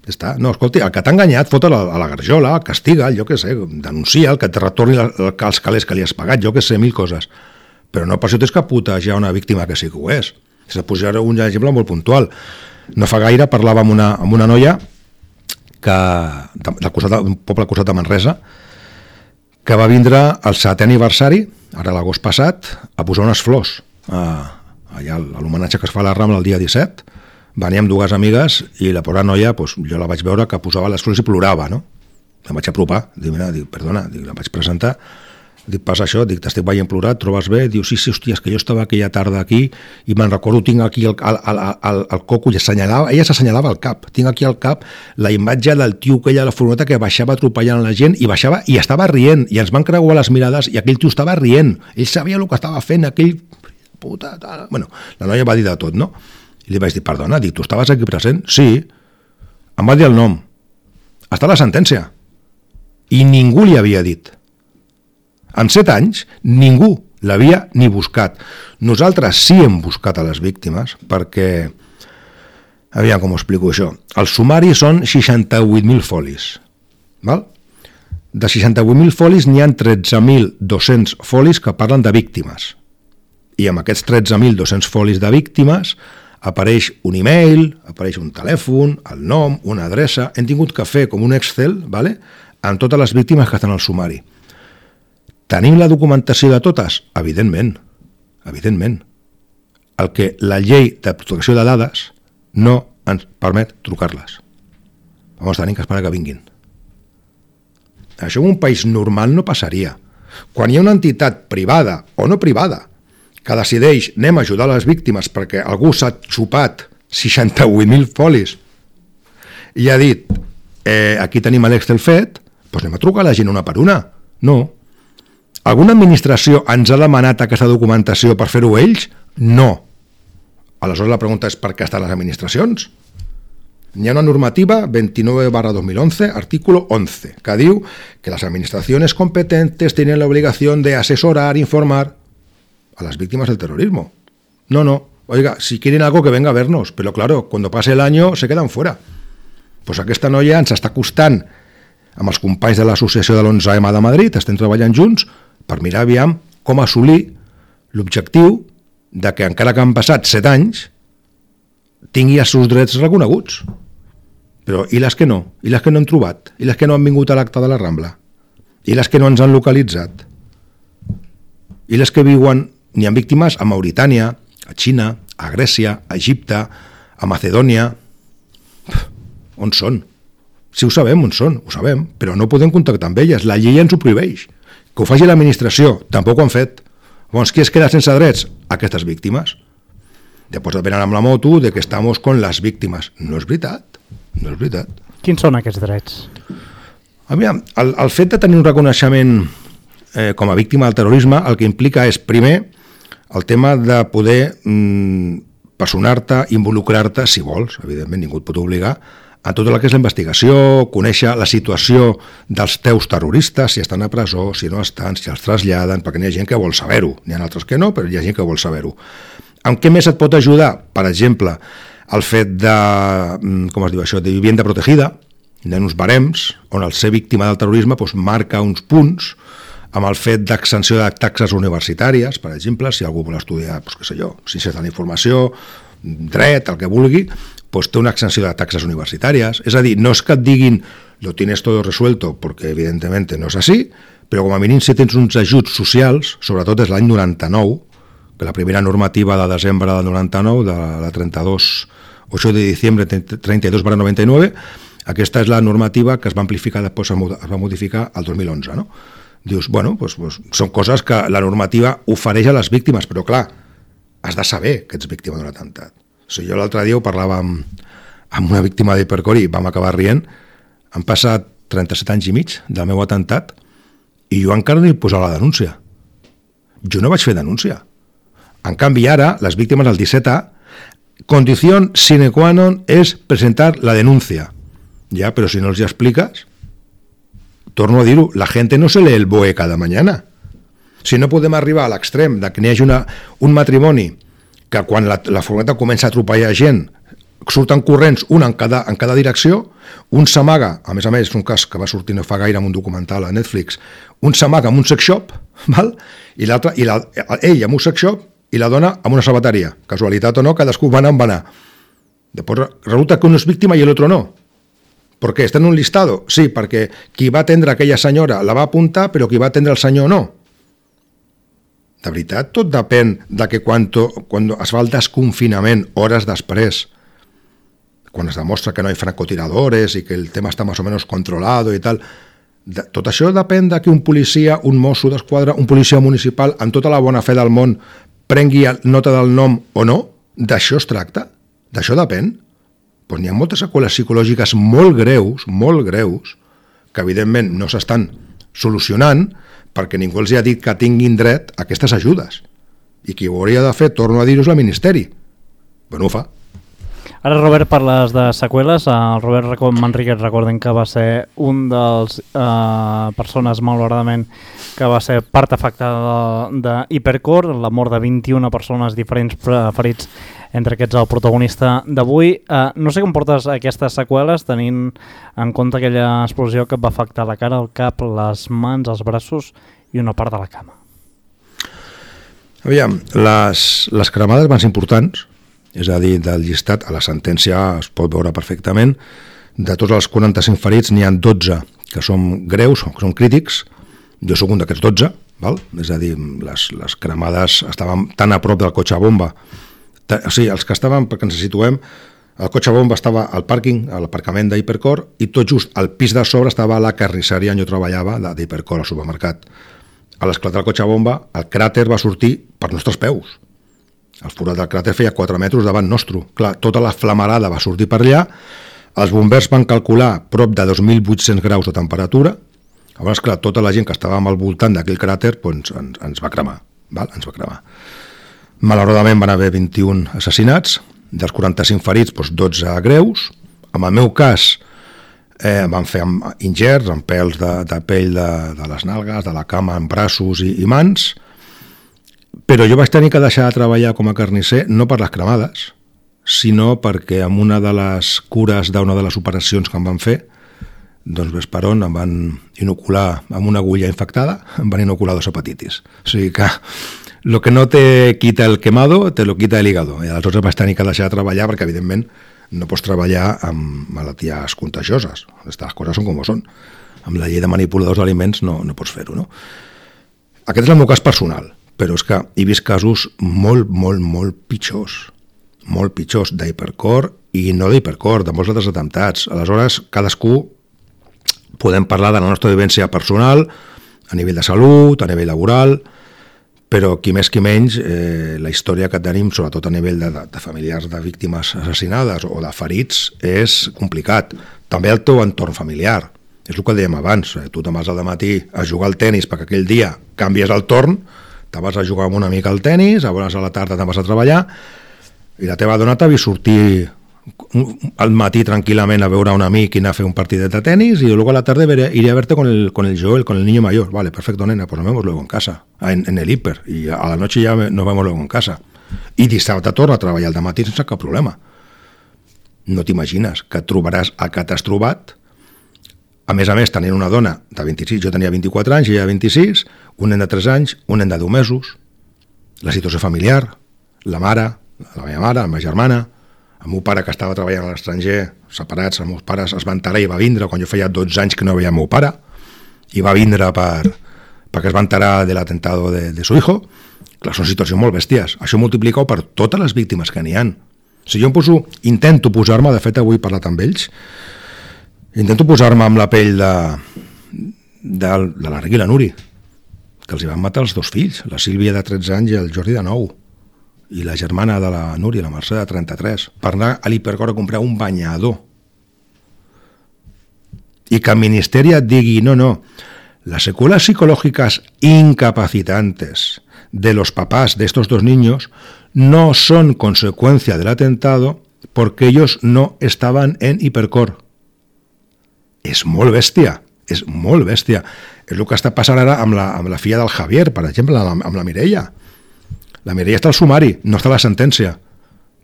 Està. No, escolti, el que t'ha enganyat, fota a la garjola, castiga, jo què sé, denuncia, el que et retorni els calés que li has pagat, jo què sé, mil coses. Però no per això tens que putejar una víctima que sí que ho és. És de posar un exemple molt puntual. No fa gaire parlava amb una, amb una noia que, del costat, d'un poble al costat de Manresa, que va vindre al setè aniversari, ara l'agost passat, a posar unes flors. A, allà, a l'homenatge que es fa a la Rambla el dia disset, veníem dues amigues i la pobra noia, pues, jo la vaig veure que posava les flors i plorava, no? Em vaig apropar, dic, mira, dic, perdona, dic, la vaig presentar, dic, passa això, dic, t'estic veient plorar, et trobes bé? Diu, sí, sí, hòstia, és que jo estava aquella tarda aquí i me'n recordo, tinc aquí el, el, el, el, el coco i assenyalava, ella s'assenyalava al cap, tinc aquí al cap la imatge del tio que ella a la furgoneta que baixava atropellant la gent i baixava i estava rient, i ens van creuar les mirades i aquell tio estava rient, ell sabia el que estava fent, aquell puta, tal. Bueno, la noia va dir de tot, no? I li vaig dir, perdona, dic, tu estaves aquí present? Sí. Em va dir el nom. Està la sentència. I ningú li havia dit. En set anys, ningú l'havia ni buscat. Nosaltres sí hem buscat a les víctimes, perquè, aviam com ho explico això, el sumari són seixanta-vuit mil folis. Val? De seixanta-vuit mil folis n'hi ha tretze mil dos-cents folis que parlen de víctimes. I amb aquests tretze mil dos-cents folis de víctimes apareix un e-mail, apareix un telèfon, el nom, una adreça. Hem tingut que fer com un Excel, vale? Amb totes les víctimes que estan al sumari. Tenim la documentació de totes? Evidentment, evidentment. El que la llei de protecció de dades no ens permet trucar-les. Llavors tenim que esperar que vinguin. Això en un país normal no passaria. Quan hi ha una entitat privada o no privada que decideix anem a ajudar les víctimes perquè algú s'ha xupat seixanta-vuit mil folis i ha dit eh, aquí tenim l'Excel fet, doncs anem a trucar a la gent una per una. No. Alguna administració ens ha demanat aquesta documentació per fer-ho ells? No. Aleshores la pregunta és per què estan les administracions? Hi ha una normativa veintinueve barra dos mil once, artículo once, que diu que las administraciones competentes tienen la obligación de asesorar, informar a las víctimas del terrorismo. No, no, oiga, si quieren algo que venga a vernos, pero claro, cuando pase el año se quedan fuera. Pues aquesta noia ens està costant amb els companys de l'associació de l'onze eme de Madrid, estem treballant junts per mirar aviam com assolir l'objectiu de que encara que han passat set anys tingui els seus drets reconeguts. Però i les que no? I les que no hem trobat? I les que no han vingut a l'acte de la Rambla? I les que no ens han localitzat? I les que viuen, n'hi ha víctimes a Mauritània, a Xina, a Grècia, a Egipte, a Macedònia. On són? Sí ho sabem on són, ho sabem, però no podem contactar amb elles, la llei ens ho prohibeix. Que ho faci l'administració, tampoc ho han fet. Llavors, qui es queda sense drets? Aquestes víctimes. Després venen amb la moto de que estamos con les víctimes. No és veritat, no és veritat. Quins són aquests drets? Aviam, el, el fet de tenir un reconeixement eh, com a víctima del terrorisme el que implica és, primer, el tema de poder mm, personar-te, involucrar-te, si vols, evidentment ningú et pot obligar, a tota la que és la investigació, conèixer la situació dels teus terroristes, si estan a presó, si no estan, si els traslladen, perquè n'hi ha gent que vol saber-ho. N'hi ha altres que no, però hi ha gent que vol saber-ho. En què més et pot ajudar? Per exemple, el fet de, com es diu això, de vivienda protegida, hi ha uns barems on el ser víctima del terrorisme doncs, marca uns punts amb el fet d'exenció de taxes universitàries, per exemple, si algú vol estudiar, doncs, què sé jo, ciències de la informació, dret, el que vulgui, doncs té una exenció de taxes universitàries. És a dir, no és que et diguin lo tienes todo resuelto, perquè evidentemente no és així, però com a mínim si tens uns ajuts socials, sobretot des de l'any noranta-nou, que la primera normativa de desembre del noranta-nou, de la trenta-dos ocho de diciembre treinta y dos barra noventa y nueve, aquesta és la normativa que es va amplificar després, es va modificar el dos mil onze, no? Dius, bueno, doncs, doncs, són coses que la normativa ofereix a les víctimes, però clar, has de saber que ets víctima d'un atemptat. O sigui, jo l'altre dia ho parlava amb, amb una víctima d'Hipercor i vam acabar rient. Han passat trenta-set anys i mig del meu atemptat i jo encara no he posat la denúncia. Jo no vaig fer denúncia. En canvi, ara, les víctimes del disset A, condició sine qua non és presentar la denúncia. Ja, però si no els hi expliques, torno a dir-ho, la gent no se lee el B O E cada mañana. Si no podem arribar a l'extrem de que n'hi hagi una, un matrimoni que quan la, la furgoneta comença a atropellar gent surten corrents un en cada, en cada direcció, un s'amaga, a més a més és un cas que va sortir no fa gaire en un documental a Netflix, un s'amaga en un sex shop, val? I l'altre, i la, ell en un sex shop i la dona en una sabateria. Casualitat o no, cadascú va anar on va anar. Després resulta que un és víctima i l'altre no. ¿Por qué? ¿Está en un listado? Sí, perquè qui va atendre aquella senyora la va apuntar, però qui va atendre el senyor no. De veritat, tot depèn de que quan, quan es fa el desconfinament, hores després, quan es demostra que no hi ha francotiradores i que el tema està més o menys controlat i tal, de, tot això depèn de que un policia, un mosso d'esquadra, un policia municipal, amb tota la bona fe del món, prengui nota del nom o no. D'això es tracta? D'això depèn? Doncs n'hi ha moltes seqüeles psicològiques molt greus, molt greus, que evidentment no s'estan solucionant perquè ningú els ha dit que tinguin dret a aquestes ajudes. I qui ho hauria de fer, torno a dir-ho, és el Ministeri. Però no ho fa. Ara, Robert, parles de seqüeles. El Robert Manríquez, recordem que va ser un dels eh, persones, malauradament, que va ser part afectada d'Hipercor, la mort de vint-i-una persones diferents ferits, entre aquests el protagonista d'avui. Eh, no sé com portes aquestes seqüeles, tenint en compte aquella explosió que et va afectar la cara, el cap, les mans, els braços i una part de la cama. Aviam, les, les cremades van ser importants, és a dir, del llistat, a la sentència es pot veure perfectament, de tots els quaranta-cinc ferits n'hi ha dotze que són greus, que són crítics, jo soc un d'aquests dotze, val? És a dir, les, les cremades estaven tan a prop del cotxe bomba, o sigui, els que estaven, perquè ens situem, el cotxe bomba estava al pàrquing, a l'aparcament d'Hipercor, i tot just al pis de sobre estava la carnisseria on jo treballava, d'Hipercor, al supermercat. A l'esclat del cotxe bomba, el cràter va sortir per nostres peus. El forat del cràter feia quatre metres davant nostre. Clar, tota la flamarada va sortir per allà, els bombers van calcular prop de dos mil vuit-cents graus de temperatura. Llavors, clar, tota la gent que estàvem al voltant d'aquell cràter doncs, ens, ens va cremar, val? ens va cremar. Malauradament van haver vint-i-un assassinats, dels quaranta-cinc ferits, doncs dotze greus. En el meu cas, eh, van fer ingerts amb pèls de, de pell de, de les nalgues, de la cama, en braços i, i mans, però jo vaig tenir que deixar de treballar com a carnisser no per les cremades, sinó perquè en una de les cures d'una de les operacions que em van fer, doncs ves per on em van inocular amb una agulla infectada, em van inocular dos hepatitis. O sigui que lo que no te quita el quemado, te lo quita el hígado. I aleshores vaig tenir que deixar de treballar perquè, evidentment, no pots treballar amb malalties contagioses. Aquestes coses són com són. Amb la llei de manipuladors d'aliments no, no pots fer-ho, no? Aquest és el meu cas personal. Però és que he vist casos molt, molt, molt pitjors, molt pitjors d'Hipercor i no d'Hipercor, de molts altres atemptats. Aleshores, cadascú podem parlar de la nostra vivència personal, a nivell de salut, a nivell laboral, però qui més qui menys, eh, la història que tenim, sobretot a nivell de, de, de familiars de víctimes assassinades o de ferits, és complicat. També el teu entorn familiar. És el que dèiem abans, eh, tu te'n vas al matí a jugar al tenis perquè aquell dia canvies el torn, te vas a jugar amb una mica al tenis, a vegades a la tarda te'n vas a treballar, i la teva dona t'ha vist sortir al matí tranquil·lament a veure un amic i anar a fer un partidet de tenis, y luego a la tarde veré, iré a verte con el, con el Joel, con el niño mayor. Vale, perfecto, nena, pues nos vemos luego en casa, en, en el hiper, y a la noche ya nos vemos luego en casa. I dissabte torna a treballar al matí sense cap problema. No t'imagines que trobaràs el que t'has trobat. A més a més, tenint una dona de vint-i-sis, jo tenia vint-i-quatre anys, ella vint-i-sis, un nen de tres anys, un nen de deu mesos, la situació familiar, la mare, la meva mare, la meva germana, el meu pare que estava treballant a l'estranger, separats, els meus pares es van enterar i va vindre quan jo feia dotze anys que no veia el meu pare, i va vindre per, perquè es va enterar de l'atentado de, de su hijo. Clar, són situacions molt bèsties. Això multiplicau per totes les víctimes que n'hi ha. Si jo em poso, intento posar-me, de fet avui he parlat amb ells, intento posar-me amb la pell de, de, de l'Enric i la Nuri, que els hi van matar els dos fills, la Sílvia de tretze anys i el Jordi de nou, i la germana de la Núria, la Mercè de trenta-tres, per anar a l'Hipercor a comprar un banyador. Y que el Ministerio digui, no, no, las secuelas psicológicas incapacitantes de los papás de estos dos niños no son consecuencia del atentado porque ellos no estaban en Hipercor. És molt bèstia, és molt bèstia. És el que està passant ara amb la, amb la filla del Javier, per exemple, amb, amb la Mireia. La Mireia está al sumari, no está la sentencia.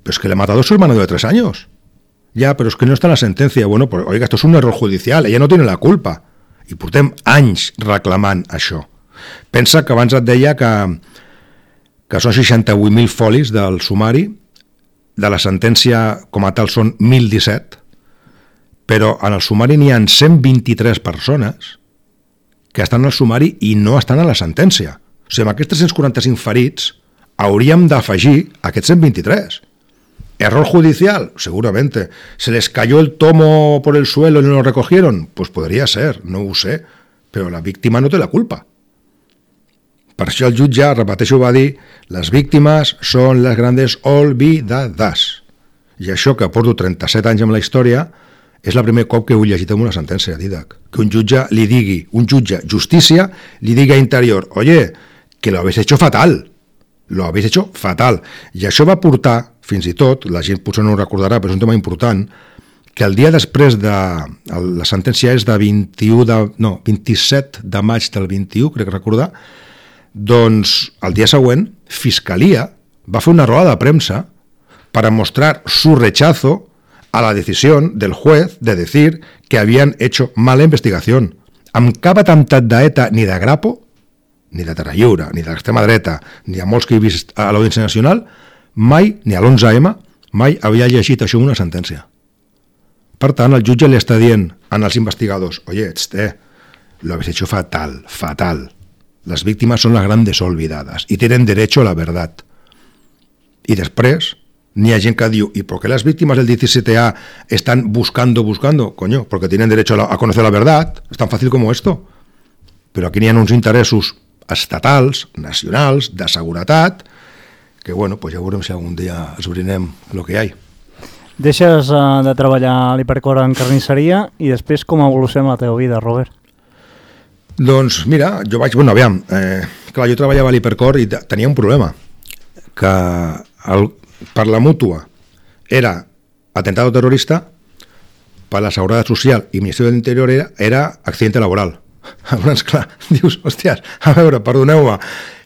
Pero es que le ha matado a su hermano de tres años. Ya, pero es que no está la sentencia. Bueno, pues, oiga, esto es un error judicial, ella no tiene la culpa. I portem anys reclamant això. Pensa que abans et deia que, que són seixanta-vuit mil folis del sumari, de la sentència com a tal són mil disset, però en el sumari n'hi ha cent vint-i-tres persones que estan al sumari i no estan a la sentència. O sigui, amb aquests tres-cents quaranta-cinc ferits hauríem d'afegir aquests cent vint-i-tres. ¿Error judicial? Seguramente. ¿Se les cayó el tomo por el suelo y no lo recogieron? Pues podría ser, no ho sé, però la víctima no té la culpa. Per això el jutge, repeteixo, va dir les víctimes són les grandes olvidades. I això que porto trenta-set anys amb la història és el primer cop que ho he llegit en una sentència, Didac. Que un jutge li digui, un jutge justícia, li digui a Interior, oye, que lo habéis hecho fatal. Lo habéis hecho fatal. I això va portar, fins i tot, la gent potser no ho recordarà, però és un tema important, que el dia després de... La sentència és de vint-i-u de... No, vint-i-set de maig del vint-i-u, crec recordar, doncs el dia següent, Fiscalia va fer una roda de premsa para mostrar su rechazo a la decisión del juez de decir que habían hecho mala investigación. Amb cap atemptat d'ETA ni de Grapo, ni de Terra Lliure, ni de l'extrema dreta, ni a molts que he vist a l'Audiència Nacional, mai, ni a l'onze eme, mai havia llegit això en una sentència. Per tant, el jutge li està dient als investigadors, oye, este, lo habéis hecho fatal, fatal. Las víctimas son las grandes olvidadas y tienen derecho a la verdad. Y després, ni hay gente que diu, ¿y por qué las víctimas del diecisiete A están buscando, buscando? Coño, porque tienen derecho a, la, a conocer la verdad. Es tan fácil como esto. Però aquí n'hi ha uns interessos estatals, nacionals, de seguretat, que bueno, pues ja veurem si algun dia esbrinem el que hi ha. Deixes uh, de treballar a l'Hipercor en carnisseria i després com evoluciona la teva vida, Robert? Doncs mira, jo vaig... Bueno, aviam, eh, clar, jo treballava a l'Hipercor i tenia un problema, que el, per la mútua era atentado terrorista, per la Seguretat Social i Ministeri de l'Interior era, era accidente laboral. Llavors, clar, dius, hòsties, a veure, perdoneu-me,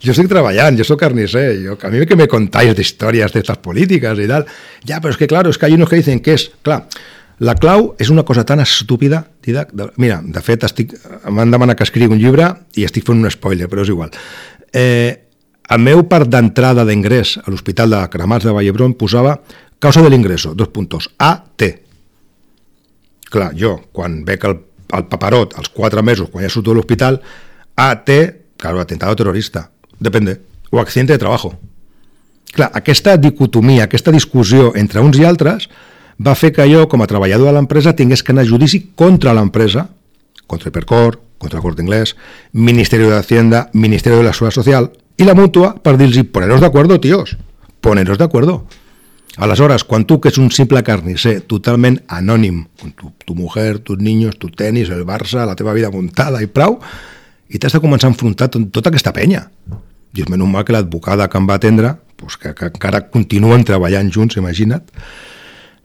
jo estic treballant, jo soc carnisser, jo, a mi que me contáis de històries d'estes polítiques i tal, ja, però és que, claro, és que hay unos que dicen que és, clar, la clau és una cosa tan estúpida, Didac, de, mira, de fet, estic, m'han demanat que escrigui un llibre i estic fent un spoiler, però és igual. Eh, el meu part d'entrada d'ingrés a l'Hospital de Cremats de Vallhebron posava causa de l'ingreso, dos puntos, A T. Clar, jo, quan veig el el paparot, als quatre mesos, quan ja surto de l'hospital, A T, claro, atentado terrorista, depende, o accidente de trabajo. Clar, aquesta dicotomia, aquesta discussió entre uns i altres va fer que jo, com a treballador de l'empresa, tingués que anar a judici contra l'empresa, contra Hipercor, contra el Corte Inglés, Ministerio de Hacienda, Ministerio de la Seguridad Social, i la mútua per dir-los, poneros de acuerdo, tíos, poneros de acuerdo. Aleshores, quan tu, que és un simple carnisser, totalment anònim, con tu, tu mujer, tus niños, tu tenis, el Barça, la teva vida muntada i prou, i t'has de començar a enfrontar tot, tota aquesta penya. I és menys mal que l'advocada que em va atendre, pues que, que encara continuen treballant junts, imagina't,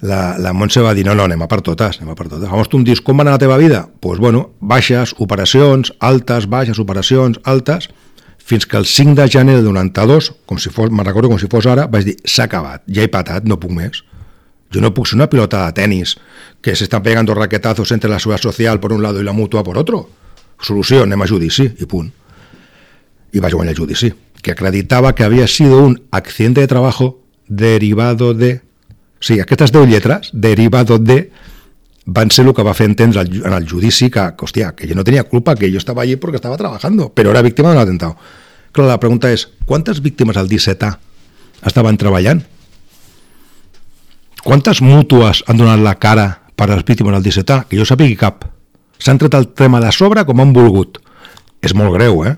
la, la Montse va dir, no, no, anem a per totes, anem a per totes. Llavors tu em dius, com va anar la teva vida? Doncs, pues, bueno, baixes, operacions, altes, baixes, operacions, altes, fins que el cinc de gener del noranta-dos, com si fos, me'n recordo com si fos ara, vaig dir, s'ha acabat, ja he patat, no puc més. Jo no puc ser una pilota de tenis que s'estan pegando raquetazos entre la Seguridad Social por un lado y la Mutua por otro. Solució, anem a judici, i punt. I vaig guanyar el judici, que acreditava que havia sido un accidente de trabajo derivado de... O sigui, aquestes deu lletres, derivado de... van ser el que va fer entendre en el judici que, que, hòstia, que jo no tenia culpa, que jo estava allí perquè estava trabajando, però era víctima d'un atentado. Clar, la pregunta és, quantes víctimes al disset A estaven treballant? quantes mútues han donat la cara per a les víctimes del disset A? Que jo sàpigui cap. S'han tret el tema de sobre com han volgut. És molt greu, eh?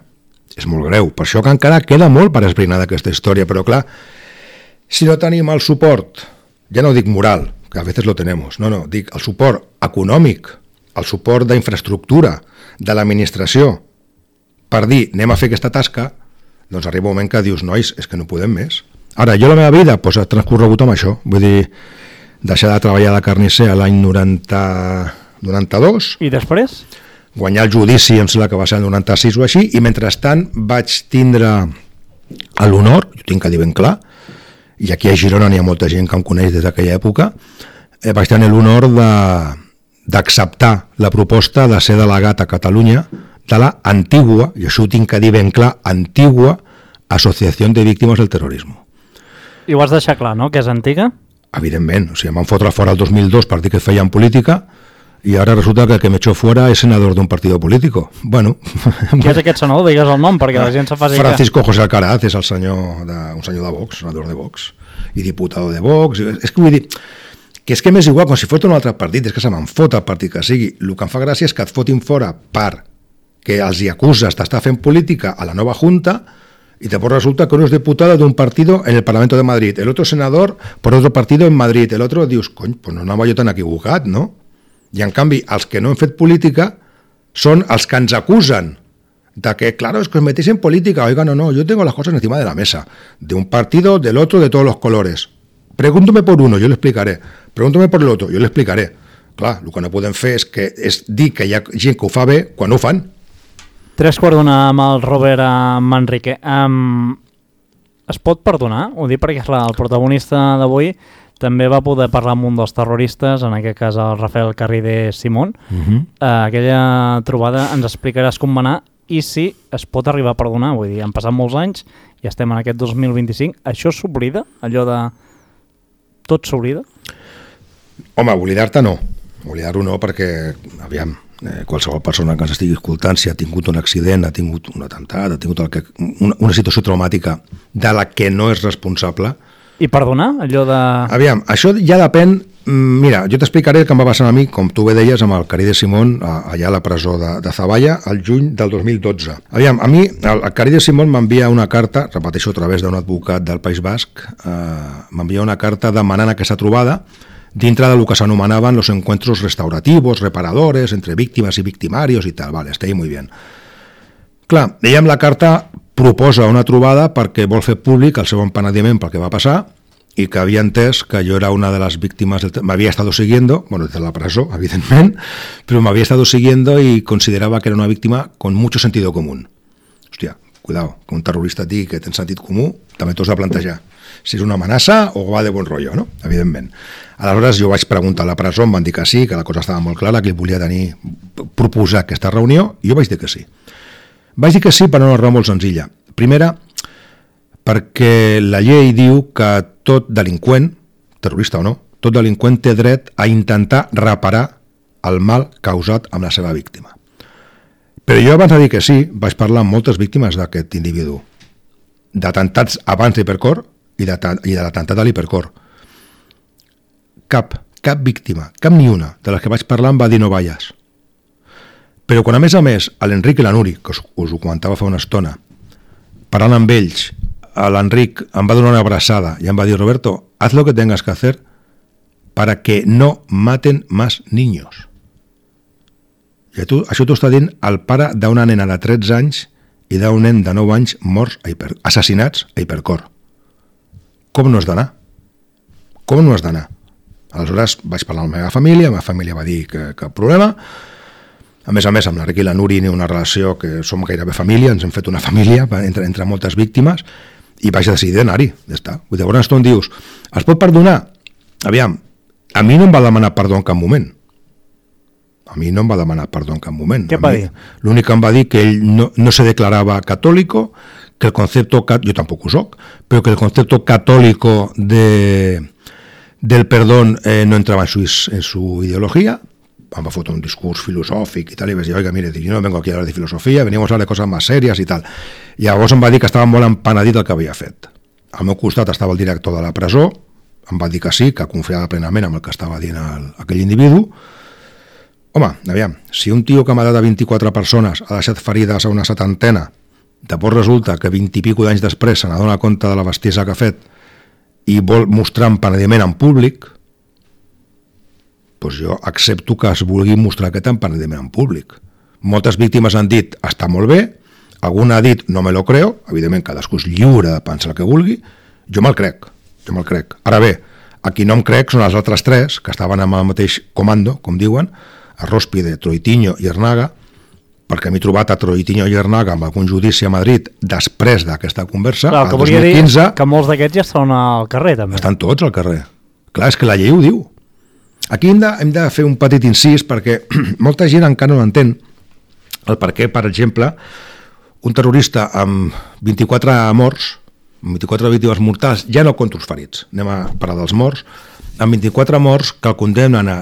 És molt greu. Per això que encara queda molt per esbrinar d'aquesta història, però clar, si no tenim el suport, ja no dic moral, que a veces lo tenemos, no, no, dic el suport econòmic, el suport d'infraestructura de l'administració per dir anem a fer aquesta tasca, doncs arriba un moment que dius, nois, és que no podem més. Ara, jo la meva vida pues, ha transcorregut amb això, vull dir, deixar de treballar de carnisser a l'any noranta, noranta-dos. I després? Guanyar el judici, em sembla que va ser el noranta-sis o així, i mentrestant vaig tindre l'honor, ho tinc que dir ben clar, i aquí a Girona n'hi ha molta gent que em coneix des d'aquella època, eh, vaig tenir l'honor d'acceptar la proposta de ser delegat a Catalunya de la antigua, i això ho tinc que dir ben clar, antigua Associació de Víctimes del Terrorisme. I ho has deixat clar, no?, que és antiga? Evidentment, o sigui, em van fotre fora el dos mil dos per dir que feien política, i ara resulta que el que me echó fuera es senador d'un partit polític. Bueno. Qui és aquest senador? Digues el nom, perquè la gent se faci... Francisco José Alcaraz és el senyor de, un senyor de Vox, senador de Vox, i diputado de Vox. És que vull dir, que és que m'és igual, com si fos un altre partit, és que se me'n fot el partit que sigui. El que em fa gràcia és que et fotin fora per que els hi acuses d'estar fent política a la nova Junta, y después resulta que uno es diputado de un partido en el Parlamento de Madrid, el otro senador por otro partido en Madrid, el otro, dius, cony, pues no anava jo tan equivocat, no? I en canvi, els que no han fet política són els que ens acusen de que, claro, es que os metéis en política. Oiga, no, no, yo tengo las cosas encima de la mesa, de un partido, del otro, de todos los colores. Pregúntame por uno, yo le explicaré. Pregúntame por el otro, yo le explicaré. Clar, el que no podem fer és, que, és dir que hi ha gent que ho fa bé quan no ho fan. Tres quarts d'una amb el Robert Manrique. Um, es pot perdonar? Ho dic perquè clar, el protagonista d'avui també va poder parlar amb un dels terroristes, en aquest cas el Rafael Carrider Simón. Uh-huh. uh, aquella trobada ens explicaràs com va anar i si es pot arribar a perdonar. Vull dir, han passat molts anys i estem en aquest dos mil vint-i-cinc. Això s'oblida? Allò de... Tot s'oblida? Home, oblidar-te no. Oblidar-ho no perquè, aviam, eh, qualsevol persona que ens estigui escoltant, si ha tingut un accident, ha tingut un atemptat, ha tingut el que, una, una situació traumàtica de la que no és responsable. I perdonar? Allò de... Aviam, això ja depèn... Mira, jo t'explicaré el que em va passar a mi, com tu bé deies, amb el Carrider Simón, allà a la presó de, de Zavalla, al juny del dos mil dotze. Aviam, a mi, el, el Carrider Simón m'envia una carta, repeteixo a través d'un advocat del País Basc, eh, m'envia una carta demanant aquesta trobada dintre del que s'anomenaven los encuentros restaurativos, reparadores, entre víctimes i victimarios i tal. Vale, està ahí muy bien. Clar, ella amb la carta proposa una trobada perquè vol fer públic el seu empenediment pel que va passar i que havia entès que jo era una de les víctimes, del... m'havia estado siguiendo, bueno, desde la presó, evidentment, però m'havia estado siguiendo y consideraba que era una víctima con mucho sentido común. Hòstia, cuidado, que un terrorista et digui que tens sentit comú, també t'ho has de plantejar. Si és una amenaça o va de bon rotllo, no? Evidentment. Aleshores jo vaig preguntar a la presó, em van dir que sí, que la cosa estava molt clara, que ell volia tenir, proposar aquesta reunió, i jo vaig dir que sí. Vaig dir que sí per una raó molt senzilla. Primera, perquè la llei diu que tot delinqüent, terrorista o no, tot delinqüent té dret a intentar reparar el mal causat amb la seva víctima. Però jo abans de dir que sí, vaig parlar amb moltes víctimes d'aquest individu, d'atemptats abans d'Hipercor i de, i de l'atemptat de l'Hipercor. Cap, cap víctima, cap ni una de les que vaig parlar em va dir no vayas. Però quan a més a més l'Enric i la Nuri, que us, us ho comentava fa una estona, parlant amb ells, l'Enric em va donar una abraçada i em va dir, Roberto, haz lo que tengas que hacer para que no maten más niños. I tu, això t'ho està dient el pare d'una nena de tretze anys i d'un nen de nou anys morts, a hiper, assassinats a Hipercor. Com no has d'anar? Com no has d'anar? Aleshores vaig parlar amb la meva família, la meva família va dir que cap problema. A més a més, amb l'Enric i la Nuri ni una relació que som gairebé família, ens hem fet una família entre, entre moltes víctimes, i vaig decidir d'anar-hi, ja està. Llavors tu em dius, es pot perdonar? Aviam, a mi no em va demanar perdó en cap moment. A mi no em va demanar perdó en cap moment. Què va dir? L'únic que em va dir que ell no, no se declarava católico, que el concepto, yo tampoco soc, pero que el concepto católico de, del perdón eh, no entraba en su, en su ideología. Em va fotre un discurs filosòfic i tal, i vaig dir, oiga, mire, yo no vengo aquí a hablar de filosofía, veníamos a hablar de cosas más serias i tal. I llavors em va dir que estava molt empenedit del que havia fet. Al meu costat estava el director de la presó, em va dir que sí, que confiava plenament amb el que estava dient el, aquell individu. Home, aviam, si un tio que m'ha de vint-i-quatre persones ha deixat ferides a una setantena, després resulta que vint i pico d'anys després se n'adona compte de la bestiesa que ha fet i vol mostrar empenediment en públic, doncs jo accepto que es vulgui mostrar aquest empenediment en públic. Moltes víctimes han dit, està molt bé, algun ha dit, no me lo creo, evidentment cadascú és lliure de pensar el que vulgui, jo me'l crec, jo me'l crec. Ara bé, a qui no em crec són els altres tres, que estaven amb el mateix comando, com diuen, Arróspide, Troitiño i Ernaga, perquè m'he trobat a Troitiño i Ernaga amb algun judici a Madrid després d'aquesta conversa. Clar, el que volia dir que molts d'aquests ja estan al carrer, també. Estan tots al carrer. Clar, és que la llei ho diu. Aquí hem de, hem de fer un petit incís perquè molta gent encara no entén el per què, per exemple, un terrorista amb vint-i-quatre morts, amb vint-i-quatre víctimes mortals, ja no contra els ferits, anem a parlar dels morts, amb vint-i-quatre morts que el condemnen a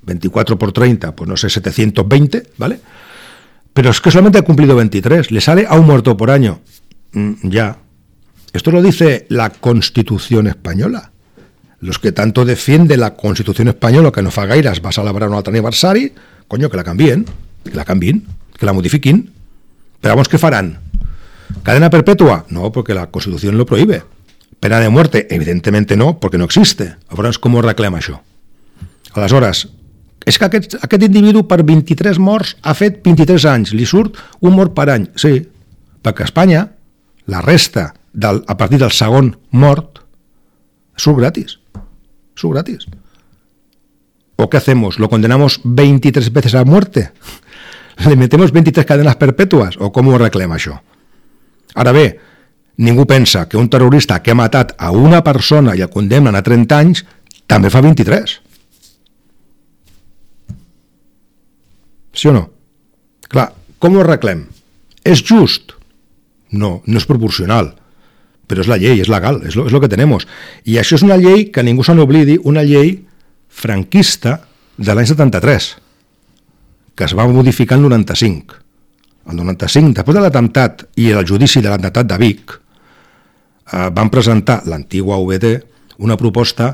veinticuatro por treinta, pues no sé, setecientos veinte, ¿vale? Pero es que solamente ha cumplido veintitrés, le sale a un muerto por año. Mm, ya. Esto lo dice la Constitución española. Los que tanto defienden la Constitución española, que no fa gaires va celebrar un altre aniversari, coño, que la canvien, que la canvien, que la modifiquin. Pero vamos, ¿qué farán? ¿Cadena perpetua? No, porque la Constitución lo prohíbe. ¿Pena de muerte? Evidentemente no, porque no existe. Llavors, com ho reclama això? Aleshores, és que aquest, aquest individu per vint-i-tres morts ha fet vint-i-tres anys, li surt un mort per any. Sí, perquè a Espanya la resta, del, a partir del segon mort, surt gratis. Surt gratis. ¿O qué hacemos? ¿Lo condenamos veintitrés veces a muerte? ¿Le metemos veintitrés cadenas perpetuas? ¿O cómo reclama això? Ara bé, ningú pensa que un terrorista que ha matat a una persona i el condemnen a trenta anys també fa vint-i-tres. Sí o no? Clar, com ho arreglem? És just? No, no és proporcional. Però és la llei, és legal, és lo, és lo que tenemos. I això és una llei que ningú se n'oblidi, una llei franquista de l'any setanta-tres, que es va modificar el noranta-cinc. El noranta-cinc, després de l'atemptat i el judici de l'atemptat de Vic, eh, van presentar l'antigua U B T una proposta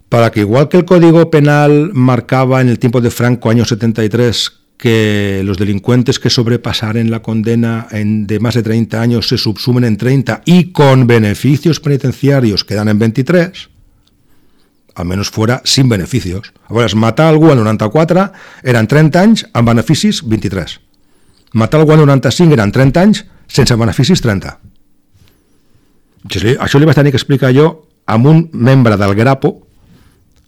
para que, igual que el Código Penal marcaba en el tiempo de Franco, año setenta y tres, que los delincuentes que sobrepasaren la condena en, de más de treinta años se subsumen en treinta y con beneficios penitenciarios quedan en veintitrés, al menos fuera sin beneficios. Llavors, matar algú al noranta-quatre eren trenta anys amb beneficis vint-i-tres. Matar algú al noranta-cinc eren trenta anys sense beneficis trenta. Això li vaig tenir que explicar jo amb un membre del Grapo,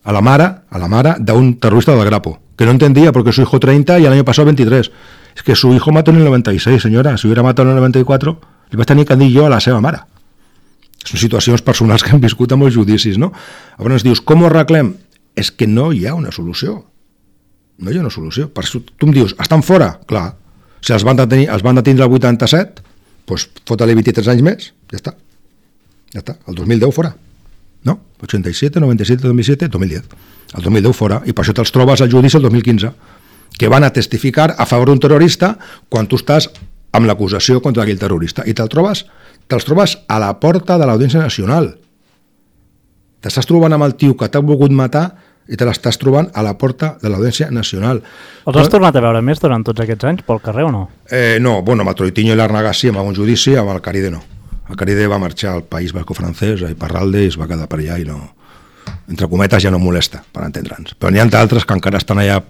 a la mare, a la mare d'un terrorista del Grapo, que no entendía porque su hijo treinta y el año pasado veintitrés. Es que su hijo mató en el noventa y seis, senyora. Si hubiera matado en el noventa y cuatro, li vaig tenir que dir jo a la seva mare. Són situacions personals que han viscut amb els judicis, no? Llavors dius, com ho arreglem? És que no hi ha una solució. No hi ha una solució. Per això tu em dius, estan fora? Clar. Si els van detenir, els van detenir el vuitanta-set, doncs fota-li vint-i-tres anys més, ja està. Ja està, el dos mil deu fora. No? ochenta y siete, noventa y siete, dos mil siete, dos mil diez. El dos mil deu fora, i per això te'ls trobes al judici el dos mil quinze, que van a testificar a favor d'un terrorista quan tu estàs amb l'acusació contra aquell terrorista, i te'ls trobes, te'ls trobes a la porta de l'Audiència Nacional. T'estàs trobant amb el tio que t'ha volgut matar i te l'estàs trobant a la porta de l'Audiència Nacional. Els has tornat a veure més durant tots aquests anys pel carrer o no? Eh, no, bueno, amb el Troitiño i l'Arnaga sí, amb algun judici, amb el Caride no. El Caride va marxar al País Basco-Francès, a Iparralde, i es va quedar per allà i no... Entre cometes ja no molesta, per entendre'ns. Però n'hi ha d'altres que encara estan allà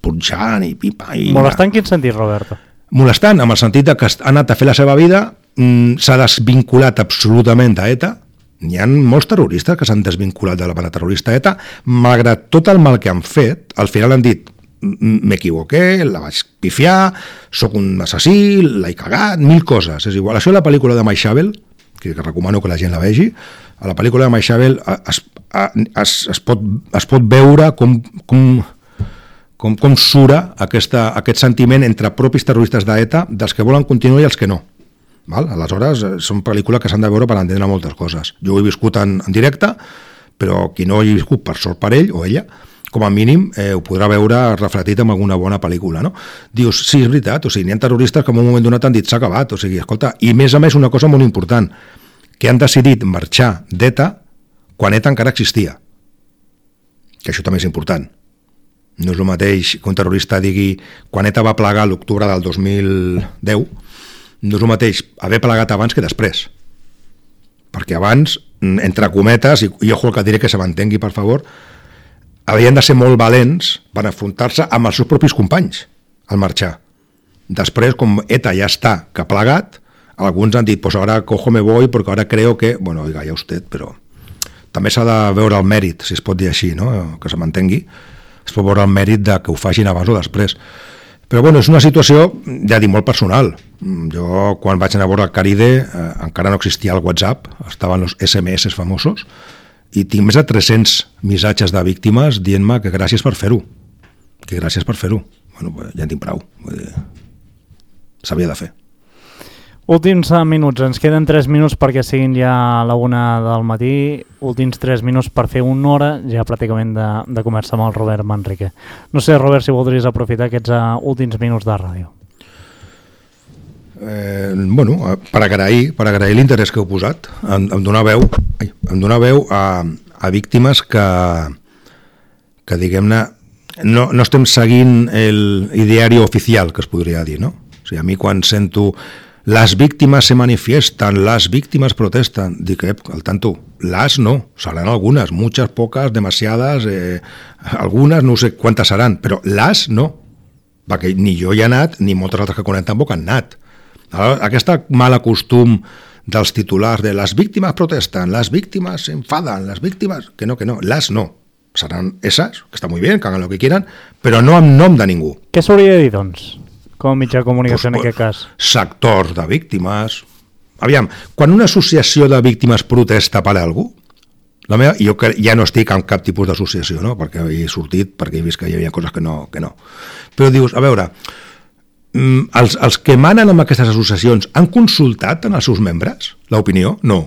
punxant i pipa i... Molestant en quin sentit, Roberto? Molestant, amb el sentit que ha anat a fer la seva vida, s'ha desvinculat absolutament a ETA. N'hi ha molts terroristes que s'han desvinculat de la banda terrorista ETA, malgrat tot el mal que han fet, al final han dit m'equivoqué, la vaig pifiar, sóc un assassí, l'he cagat, mil coses. És igual. Això és la pel·lícula de Maixabel, que recomano que la gent la vegi. A la pel·lícula de Maixabel es, es, es, pot, es pot veure com, com, com, com sura aquesta, aquest sentiment entre propis terroristes d'ETA, dels que volen continuar i els que no. Val? Aleshores, són pel·lícules que s'han de veure per entendre moltes coses. Jo ho he viscut en, en directe, però qui no ho he viscut per sort per ell o ella, com a mínim eh, ho podrà veure reflectit en alguna bona pel·lícula, no? Dius, sí, és veritat, o sigui, n'hi ha terroristes que en un moment donat han dit s'ha acabat, o sigui, escolta, i més a més una cosa molt important, que han decidit marxar d'ETA quan ETA encara existia. Que això també és important. No és el mateix que un terrorista digui quan ETA va plegar l'octubre del dos mil deu, no és el mateix haver plegat abans que després. Perquè abans, entre cometes, i ojo el que diré que se m'entengui, per favor, havien de ser molt valents per enfrontar-se amb els seus propis companys al marxar. Després, com ETA ja està que ha plegat, alguns han dit, pues ahora cojo me voy porque ahora creo que... Bueno, oiga, ya usted, però... També s'ha de veure el mèrit, si es pot dir així, no? Que se m'entengui. Es pot veure el mèrit de que ho facin abans o després. Però bueno, és una situació, ja dic, molt personal. Jo, quan vaig anar a veure el Caride, eh, encara no existia el WhatsApp, estaven els esse eme esse famosos, i tinc més de tres-cents missatges de víctimes dient-me que gràcies per fer-ho. Que gràcies per fer-ho. Bueno, ja en tinc prou. S'havia de fer. Últims minuts, ens queden tres minuts perquè siguin ja a la una del matí, últims tres minuts per fer una hora ja pràcticament de, de començar amb el Robert Manrique. No sé, Robert, si voldries aprofitar aquests uh, últims minuts de ràdio. Eh, bueno, per agrair, per agrair l'interès que heu posat, em, em donar veu, ai, em donar veu a, a víctimes que, que diguem-ne, no, no estem seguint el ideari oficial, que es podria dir, no? O sigui, a mi quan sento les víctimes se manifiesten, les víctimes protesten, dic, eh, al tanto, les no, seran algunes, muchas, pocas, demasiadas, eh, algunes, no sé quantes seran, però les no, perquè ni jo hi he anat, ni moltes altres que conec tampoc han anat. Aquest mal costum dels titulars de les víctimes protesten, les víctimes s'enfaden, les víctimes... Que no, que no, les no. Seran esas, que està molt bé, que hagan lo que quieran, però no amb nom de ningú. Què s'hauria de dir, doncs, com a mitjà de comunicació pues, en aquest cas? Sectors de víctimes... Aviam, quan una associació de víctimes protesta per algú, la meva, jo ja no estic en cap tipus d'associació, no? Perquè he sortit, perquè he vist que hi havia coses que no, que no. Però dius, a veure... Els, els que manen amb aquestes associacions han consultat en els seus membres l'opinió? No.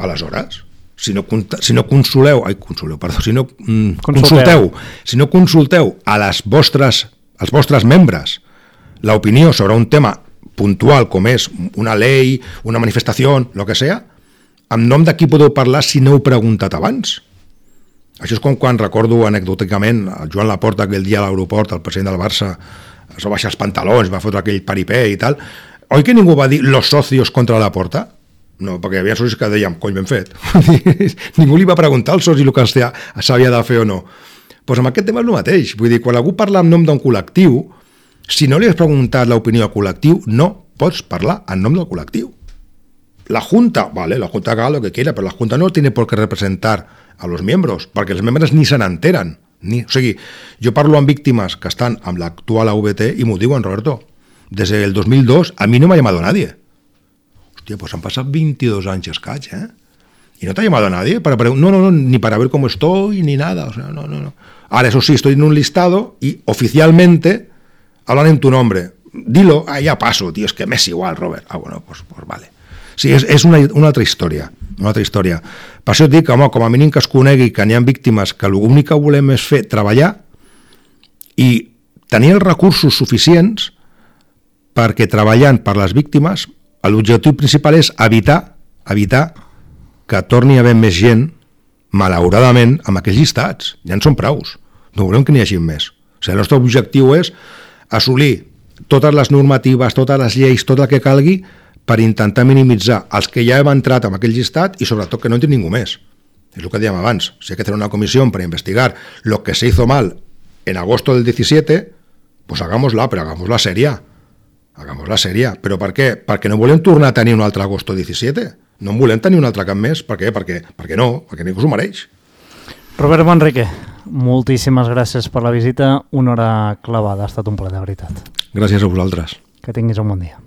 Aleshores, si no, si no consuleu, ai, consuleu, perdó, si no mm, consulteu, si no consulteu a les vostres, als vostres membres l'opinió sobre un tema puntual com és una llei, una manifestació, el que sea, en nom de qui podeu parlar si no heu preguntat abans? Això és com quan recordo anecdòticament el Joan Laporta aquell dia a l'aeroport, el president del Barça, es va baixar els pantalons, va fotre aquell paripé i tal. Oi que ningú va dir los socios contra la porta? No, perquè hi havia socis que dèiem, cony, ben fet. Ningú li va preguntar al soci el que s'havia de fer o no. Doncs pues amb aquest tema és el mateix. Vull dir, quan algú parla en nom d'un col·lectiu, si no li has preguntat l'opinió al col·lectiu, no pots parlar en nom del col·lectiu. La Junta, vale, la Junta haga lo que quiera, pero la Junta no tiene por qué representar a los miembros, perquè els membres ni se n'enteren. Ni, o sigui, jo parlo amb víctimes que estan amb l'actual A V T i m'ho diuen, Roberto, des del dos mil dos a mi no m'ha llamado nadie. Hòstia, pues han passat veintidós anys escaig, ¿eh? Y no te ha llamado nadie para, para no, no, no, ni para ver cómo estoy, ni nada, o sea, no, no, no. Ahora, eso sí, estoy en un listado y oficialmente hablan en tu nombre. Dilo, ah, ya paso, tío, es que me es igual, Robert. Ah, bueno, pues, pues vale. Sí, és, és una, una altra història, una altra història. Per això et dic que, home, com a mínim que es conegui que n'hi ha víctimes que l'únic que volem és fer treballar i tenir els recursos suficients perquè treballant per les víctimes l'objectiu principal és evitar, evitar que torni a haver més gent, malauradament, amb aquells llistats. Ja en són praus. No volem que n'hi hagi més. O sigui, el nostre objectiu és assolir totes les normatives, totes les lleis, tot el que calgui per intentar minimitzar els que ja hem entrat en aquell llistat i sobretot que no entri ningú més. És el que dèiem abans. Si hay que hacer una comisión para investigar lo que se hizo mal en agosto del diecisiete, pues hagámosla, però hagámosla seria. Hagámosla seria. Però per què? Perquè no volem tornar a tenir un altre agosto diecisiete. No en volem tenir un altre cap més. Per què? Perquè, perquè no, perquè ningú s'ho mereix. Robert Manrique, moltíssimes gràcies per la visita. Una hora clavada. Ha estat un plaer, de veritat. Gràcies a vosaltres. Que tinguis un bon dia.